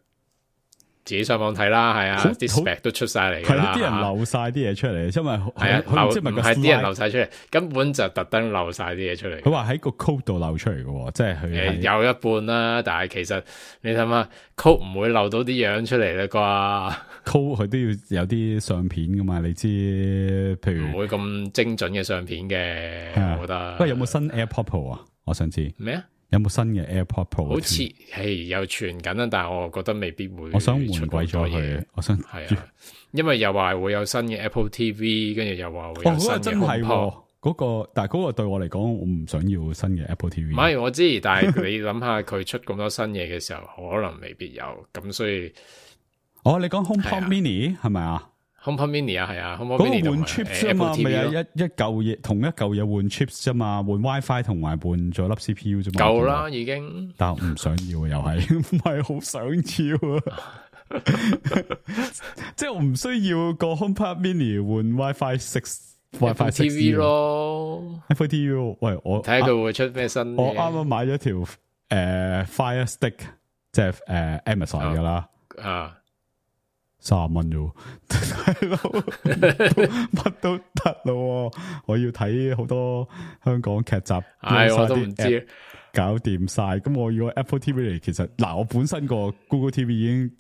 自己上網睇啦，係啊，啲 spec 都出晒嚟㗎啦，啲人漏晒啲嘢出嚟，因為係啊，唔係啲人漏晒出嚟，根本就特登漏晒啲嘢出嚟。佢話喺個 code 度漏出嚟嘅，即係佢有一半啦，但係其實你睇下 code 唔會漏到啲樣出嚟啦啩 ，code 佢都要有啲相片㗎嘛，你知，譬如唔會咁精準嘅相片嘅，我覺得。不過有冇新 AirPods Pro 啊？我想知咩啊？有冇新嘅 AirPods Pro？好似係有傳緊啊，但係我覺得未必會。我想換鬼咗佢，我想係啊，因為又話會有新嘅 Apple TV， 跟住又話會有新嘅 HomePod。真係嗰個，但係嗰個對我嚟講，我唔想要新嘅 Apple TV。唔係我知，但係你諗下佢出咁多新嘢嘅時候，可能未必有，咁所以。你講 HomePod Mini 係咪啊？HomePod Mini 啊，係啊 ，HomePod Mini 換 chips 啫嘛，咪係一嚿嘢，同一嚿嘢換 chips 啫嘛，換 WiFi 同埋換咗粒 CPU 啫嘛。夠啦，已經。但係唔想要又係，唔係好想要啊。即係我唔需要個 HomePod Mini 換 WiFi 6 TV 咯 ，Apple TV。喂，我睇下佢會出咩新。我啱啱買咗條Fire Stick， 即係Amazon 噶啦，啊30蚊啫，乜都得咯。我要睇好多香港劇集，我都唔知。搞掂晒，咁我要 Apple TV 嚟，其實嗱，我本身個 Google TV 已經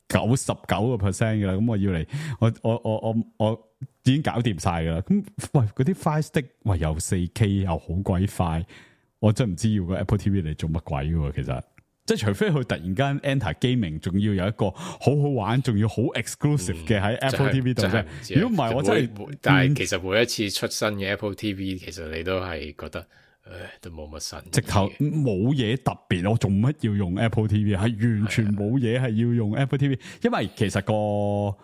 99% 噶啦，咁我要嚟，我已經搞掂晒噶啦。咁喂，嗰啲 Fire Stick 喂又 4K 又好鬼快，我真唔知要個 Apple TV 嚟做乜鬼嘅。其實即係除非佢突然間 enter gaming， 仲要有一個好好玩，仲要好 exclusive 嘅喺 Apple TV 度啫。如果唔係，我真係，但係其實每一次出新嘅 Apple TV，其實你都係覺得。都冇乜新，直頭冇嘢特別，我做乜要用 Apple TV？ 係完全冇嘢係要用 Apple TV，因為其實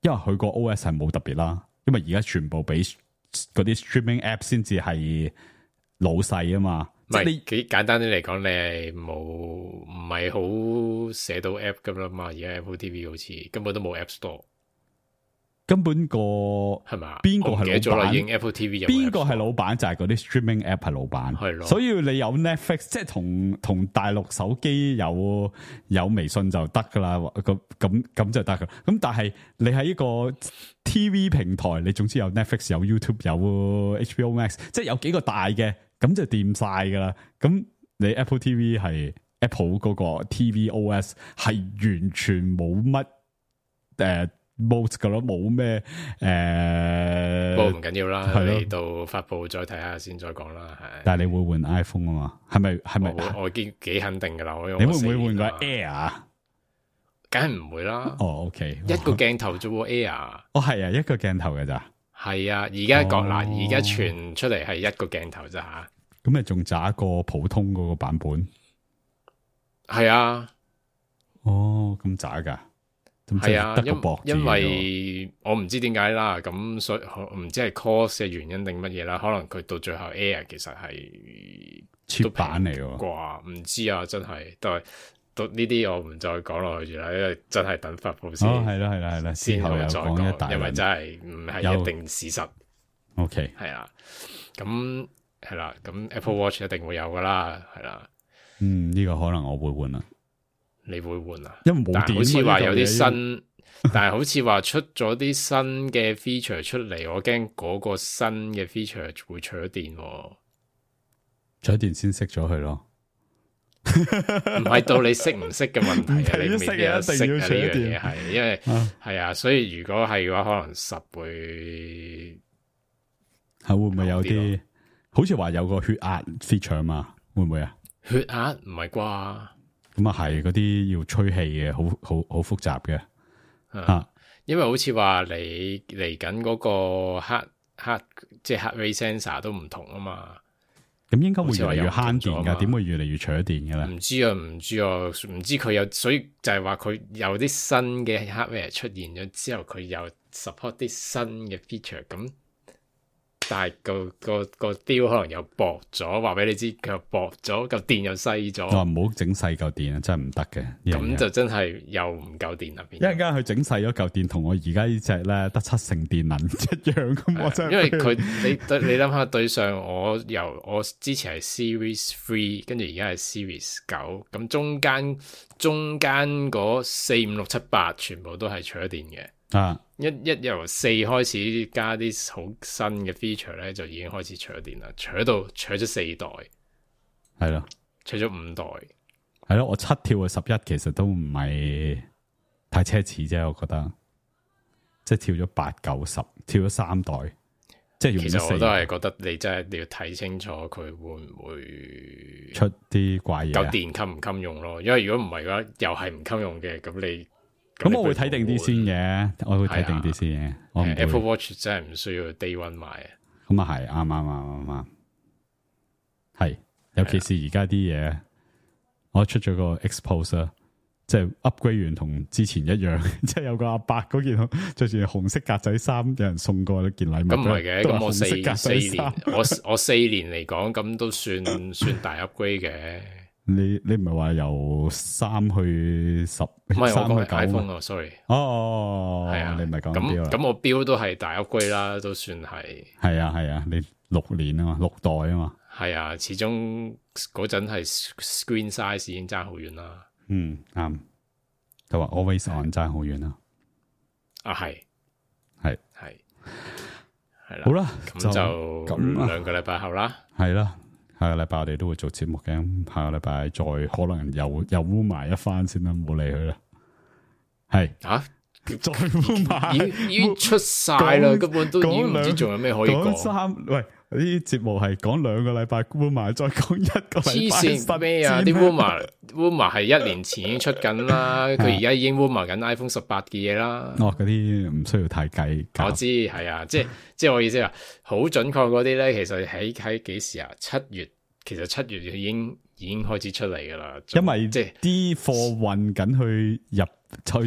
因為佢個 OS 係冇特別啦，因為而家全部俾嗰啲 streaming app 先至係老細啊嘛。唔係你幾簡單啲嚟講，你係唔係好寫到 app 咁啦嘛？而家 Apple TV 好似根本都冇 App Store。根本係嘛？邊個係老闆？已經 Apple TV 邊個係老闆？就係嗰啲 streaming app 係老闆。係咯。所以你有 Netflix， 即係同大陸手機有微信就得噶啦。咁就得噶。咁但係你喺一個 TV 平台，你總之有 Netflix、有 YouTube、有 HBO Max， 即係有幾個大嘅，咁就掂晒噶啦。咁你 Apple TV 係 Apple 嗰個 TV OS 係完全冇乜冇噶咯，冇咩不過唔緊要啦，嚟到發布再睇下先，再講啦。係，但係你會換 iPhone 啊嘛？係咪？我已經幾肯定噶啦。你會唔會換個 Air？梗係唔會啦。OK， 一個鏡頭啫喎 Air。係啊，一個鏡頭嘅咋？係啊，而家而家傳出嚟係一個鏡頭咋吓？咁咪仲渣過普通嗰個版本？係啊。咁渣噶？係啊，因為我唔知點解啦，咁所以唔知係 cost 嘅原因定乜嘢啦，可能佢到最後 Air 其實係切版嚟喎，啩唔知啊，真係都呢啲我唔再講落去住啦，因為真係等發布先。係啦，之後又講一大，因為真係唔係一定事實。OK， 係啦，咁係啦，咁 Apple Watch 一定會有噶啦，係啦。呢個可能我會換啦。你會換啊？因為冇電，好似話有啲新，但係好似話出咗啲新嘅 feature 出嚟，我驚嗰個新嘅 feature 會除咗電，除咗電先熄咗佢咯。唔係到你識唔識嘅問題啊，你未必識啊呢樣嘢係，因為係啊，所以如果係嘅話，可能10會會唔會有啲？好似話有個血壓 feature 嘛，會唔會啊？血壓唔係啩？咁啊係嗰啲要吹氣嘅，好複雜嘅因為好似話你嚟緊嗰個即係 heart rate sensor 都唔同啊嘛。咁應該會越嚟越慳電噶，點會越嚟越除咗電嘅咧？唔知唔知佢有，所以就係話佢有啲新嘅 hardware 出現咗之後，佢又 support 啲新嘅 feature 咁。但係個雕可能又薄咗，話俾你知佢又薄咗，嚿電又細咗。唔好整細嚿電啊，真係唔得嘅。咁就真係又唔夠電入邊。一陣間佢整細咗嚿電，同我而家呢隻咧得7成電能一樣咁，我真係。因為你諗下對上我之前係 Series 3，跟住而家係 Series 9，咁中間嗰4、5、6、7、8全部都係除咗電嘅。一由4開始加啲好新嘅 feature 咧，就已經開始除咗電啦，除咗4代，係咯，除咗5代，係咯，我7跳去11，其實都唔係太奢侈啫，我覺得，即係跳咗8、9、10，跳咗3代，即係用咗4代。其實我都係覺得你真係你要睇清楚佢會唔會出啲怪嘢，夠電襟唔襟用咯？因為如果唔係嘅話，又係唔襟用嘅，咁我會睇定啲先嘅，我會睇定啲先嘅。Apple Watch 真係唔需要 Day One 買啊。咁啊係，啱。係，尤其是而家啲嘢，我出咗個 Expose 啊，即係 upgrade 完同之前一樣，即係有個阿伯嗰件着住紅色格仔衫，有人送過一件禮物。咁唔係嘅，咁我4年，我4年嚟講，咁都算大 upgrade 嘅。你唔係話由3去10，唔係我講3去9 iPhone 啊 ，sorry。係啊，你唔係講錶啦。咁我錶都係大 upgrade 啦，都算係。係啊，你6年啊嘛，6代啊嘛。係啊，始終嗰陣係 screen size 已經爭好遠啦。啱。就話 always on 爭好遠啦。啊，係啦。好啦，咁就2個禮拜後啦。係啦，下個禮拜我哋都會做節目嘅。下個禮拜再可能又污埋一番先啦，唔好理佢啦。係再污埋，已經出晒啦，根本都已經唔知仲有咩可以講。喂，呢啲節目係講2個禮拜污埋，再講1個禮拜。黐線咩啊？啲污埋係1年前已經出緊啦，佢而家已經污埋緊 iPhone 18嘅嘢啦。嗰啲唔需要太計。我知係啊，即係我意思話，好準確嗰啲咧，其實喺幾時啊？7月，其實7月已經開始出嚟噶啦。因為即係啲貨運緊去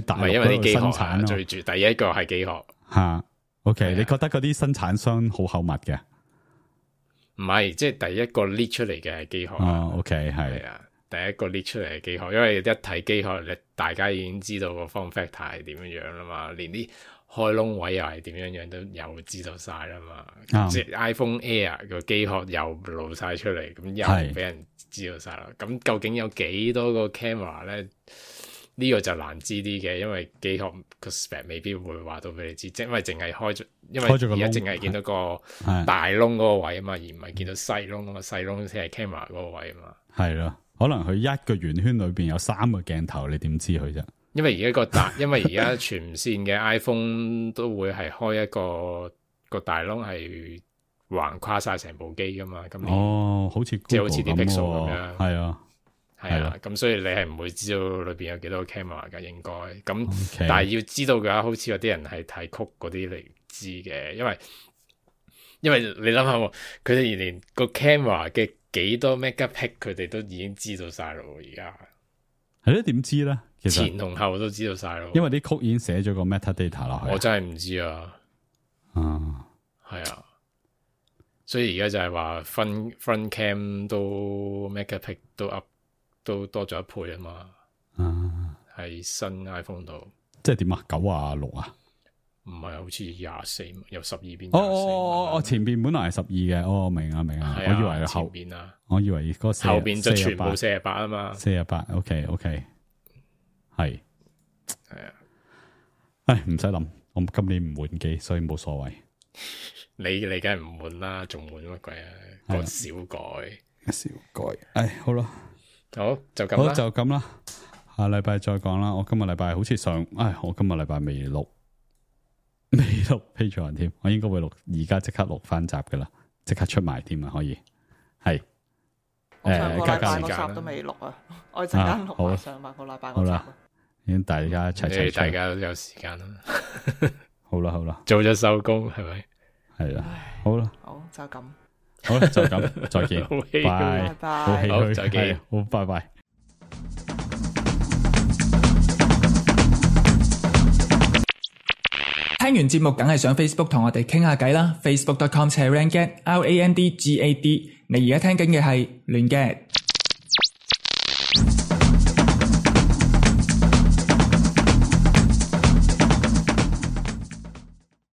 大陸嗰度生產咯。最住第一個係機殼吓。OK，你覺得嗰啲生產商好口密嘅？唔係，即係第一個 lead 出嚟嘅係機殼。OK， 係啊，第一個 lead 出嚟嘅機殼，因為一睇機殼，大家已經知道個 form factor 係點樣樣啦嘛，連啲開窿位又係點樣樣都有知道晒啦嘛。即係 iPhone Air 個機殼又露晒出嚟，咁又俾人知道晒啦。咁究竟有幾多個 camera 咧？呢個就難知啲嘅，因為機殼個 spec 未必會話到俾你知，即係因為淨係開咗，因為而家淨係見到個大窿嗰個位啊嘛，而唔係見到細窿啊嘛，細窿先係 camera 嗰個位啊嘛。係咯，可能佢一個圓圈裏邊有3個鏡頭，你點知佢啫？因為而家全線嘅 iPhone 都會係開一個大窿係橫跨晒成部機噶嘛。咁好似即係好似啲 Pixel 咁樣。係啊。係啦，咁所以你係唔會知道裏邊有幾多個 camera 噶，應該咁。但係要知道嘅話，好似有啲人係睇曲嗰啲嚟知嘅，因為你諗下，佢哋連個 camera 嘅幾多 megapixel 佢哋都已經知道晒咯。而家係咯，點知咧？其實前同後都知道晒咯。因為啲曲已經寫咗個 metadata 落去。我真係唔知啊。係啊，所以而家就係話 front cam 都 megapixel 都 up。都多咗1倍啊嘛，喺新 iPhone 度，即係點啊？96啊？唔係，好似24，由12變24。前邊本來係12嘅，明啊，我以為後邊啊，我以為嗰後邊就全部48啊嘛，48 OK， 係啊，唉，唔使諗，我今年唔換機，所以冇所謂。你梗係唔換啦，仲換乜鬼啊？個小改，唉，好啦。好就咁啦，好就咁啦，下禮拜再講啦。我今日禮拜好似我今日禮拜未錄 Patreon 添，我應該會錄，而家即刻錄翻集噶啦，即刻出埋添啊，可以係。我上個禮拜嗰集都未錄啊，我陣間錄埋上個禮拜嗰集。好啦，已經大家一齊大家都有時間啦。好啦，早咗收工係咪？係啦，好啦，好就咁。好啦，就咁，再見，拜拜，好唏噓，再見，好，拜拜。聽完節目梗係上 Facebook 同我哋傾下偈啦 ，Facebook.com/randgad，RANDGAD。你而家聽緊嘅係亂 gad。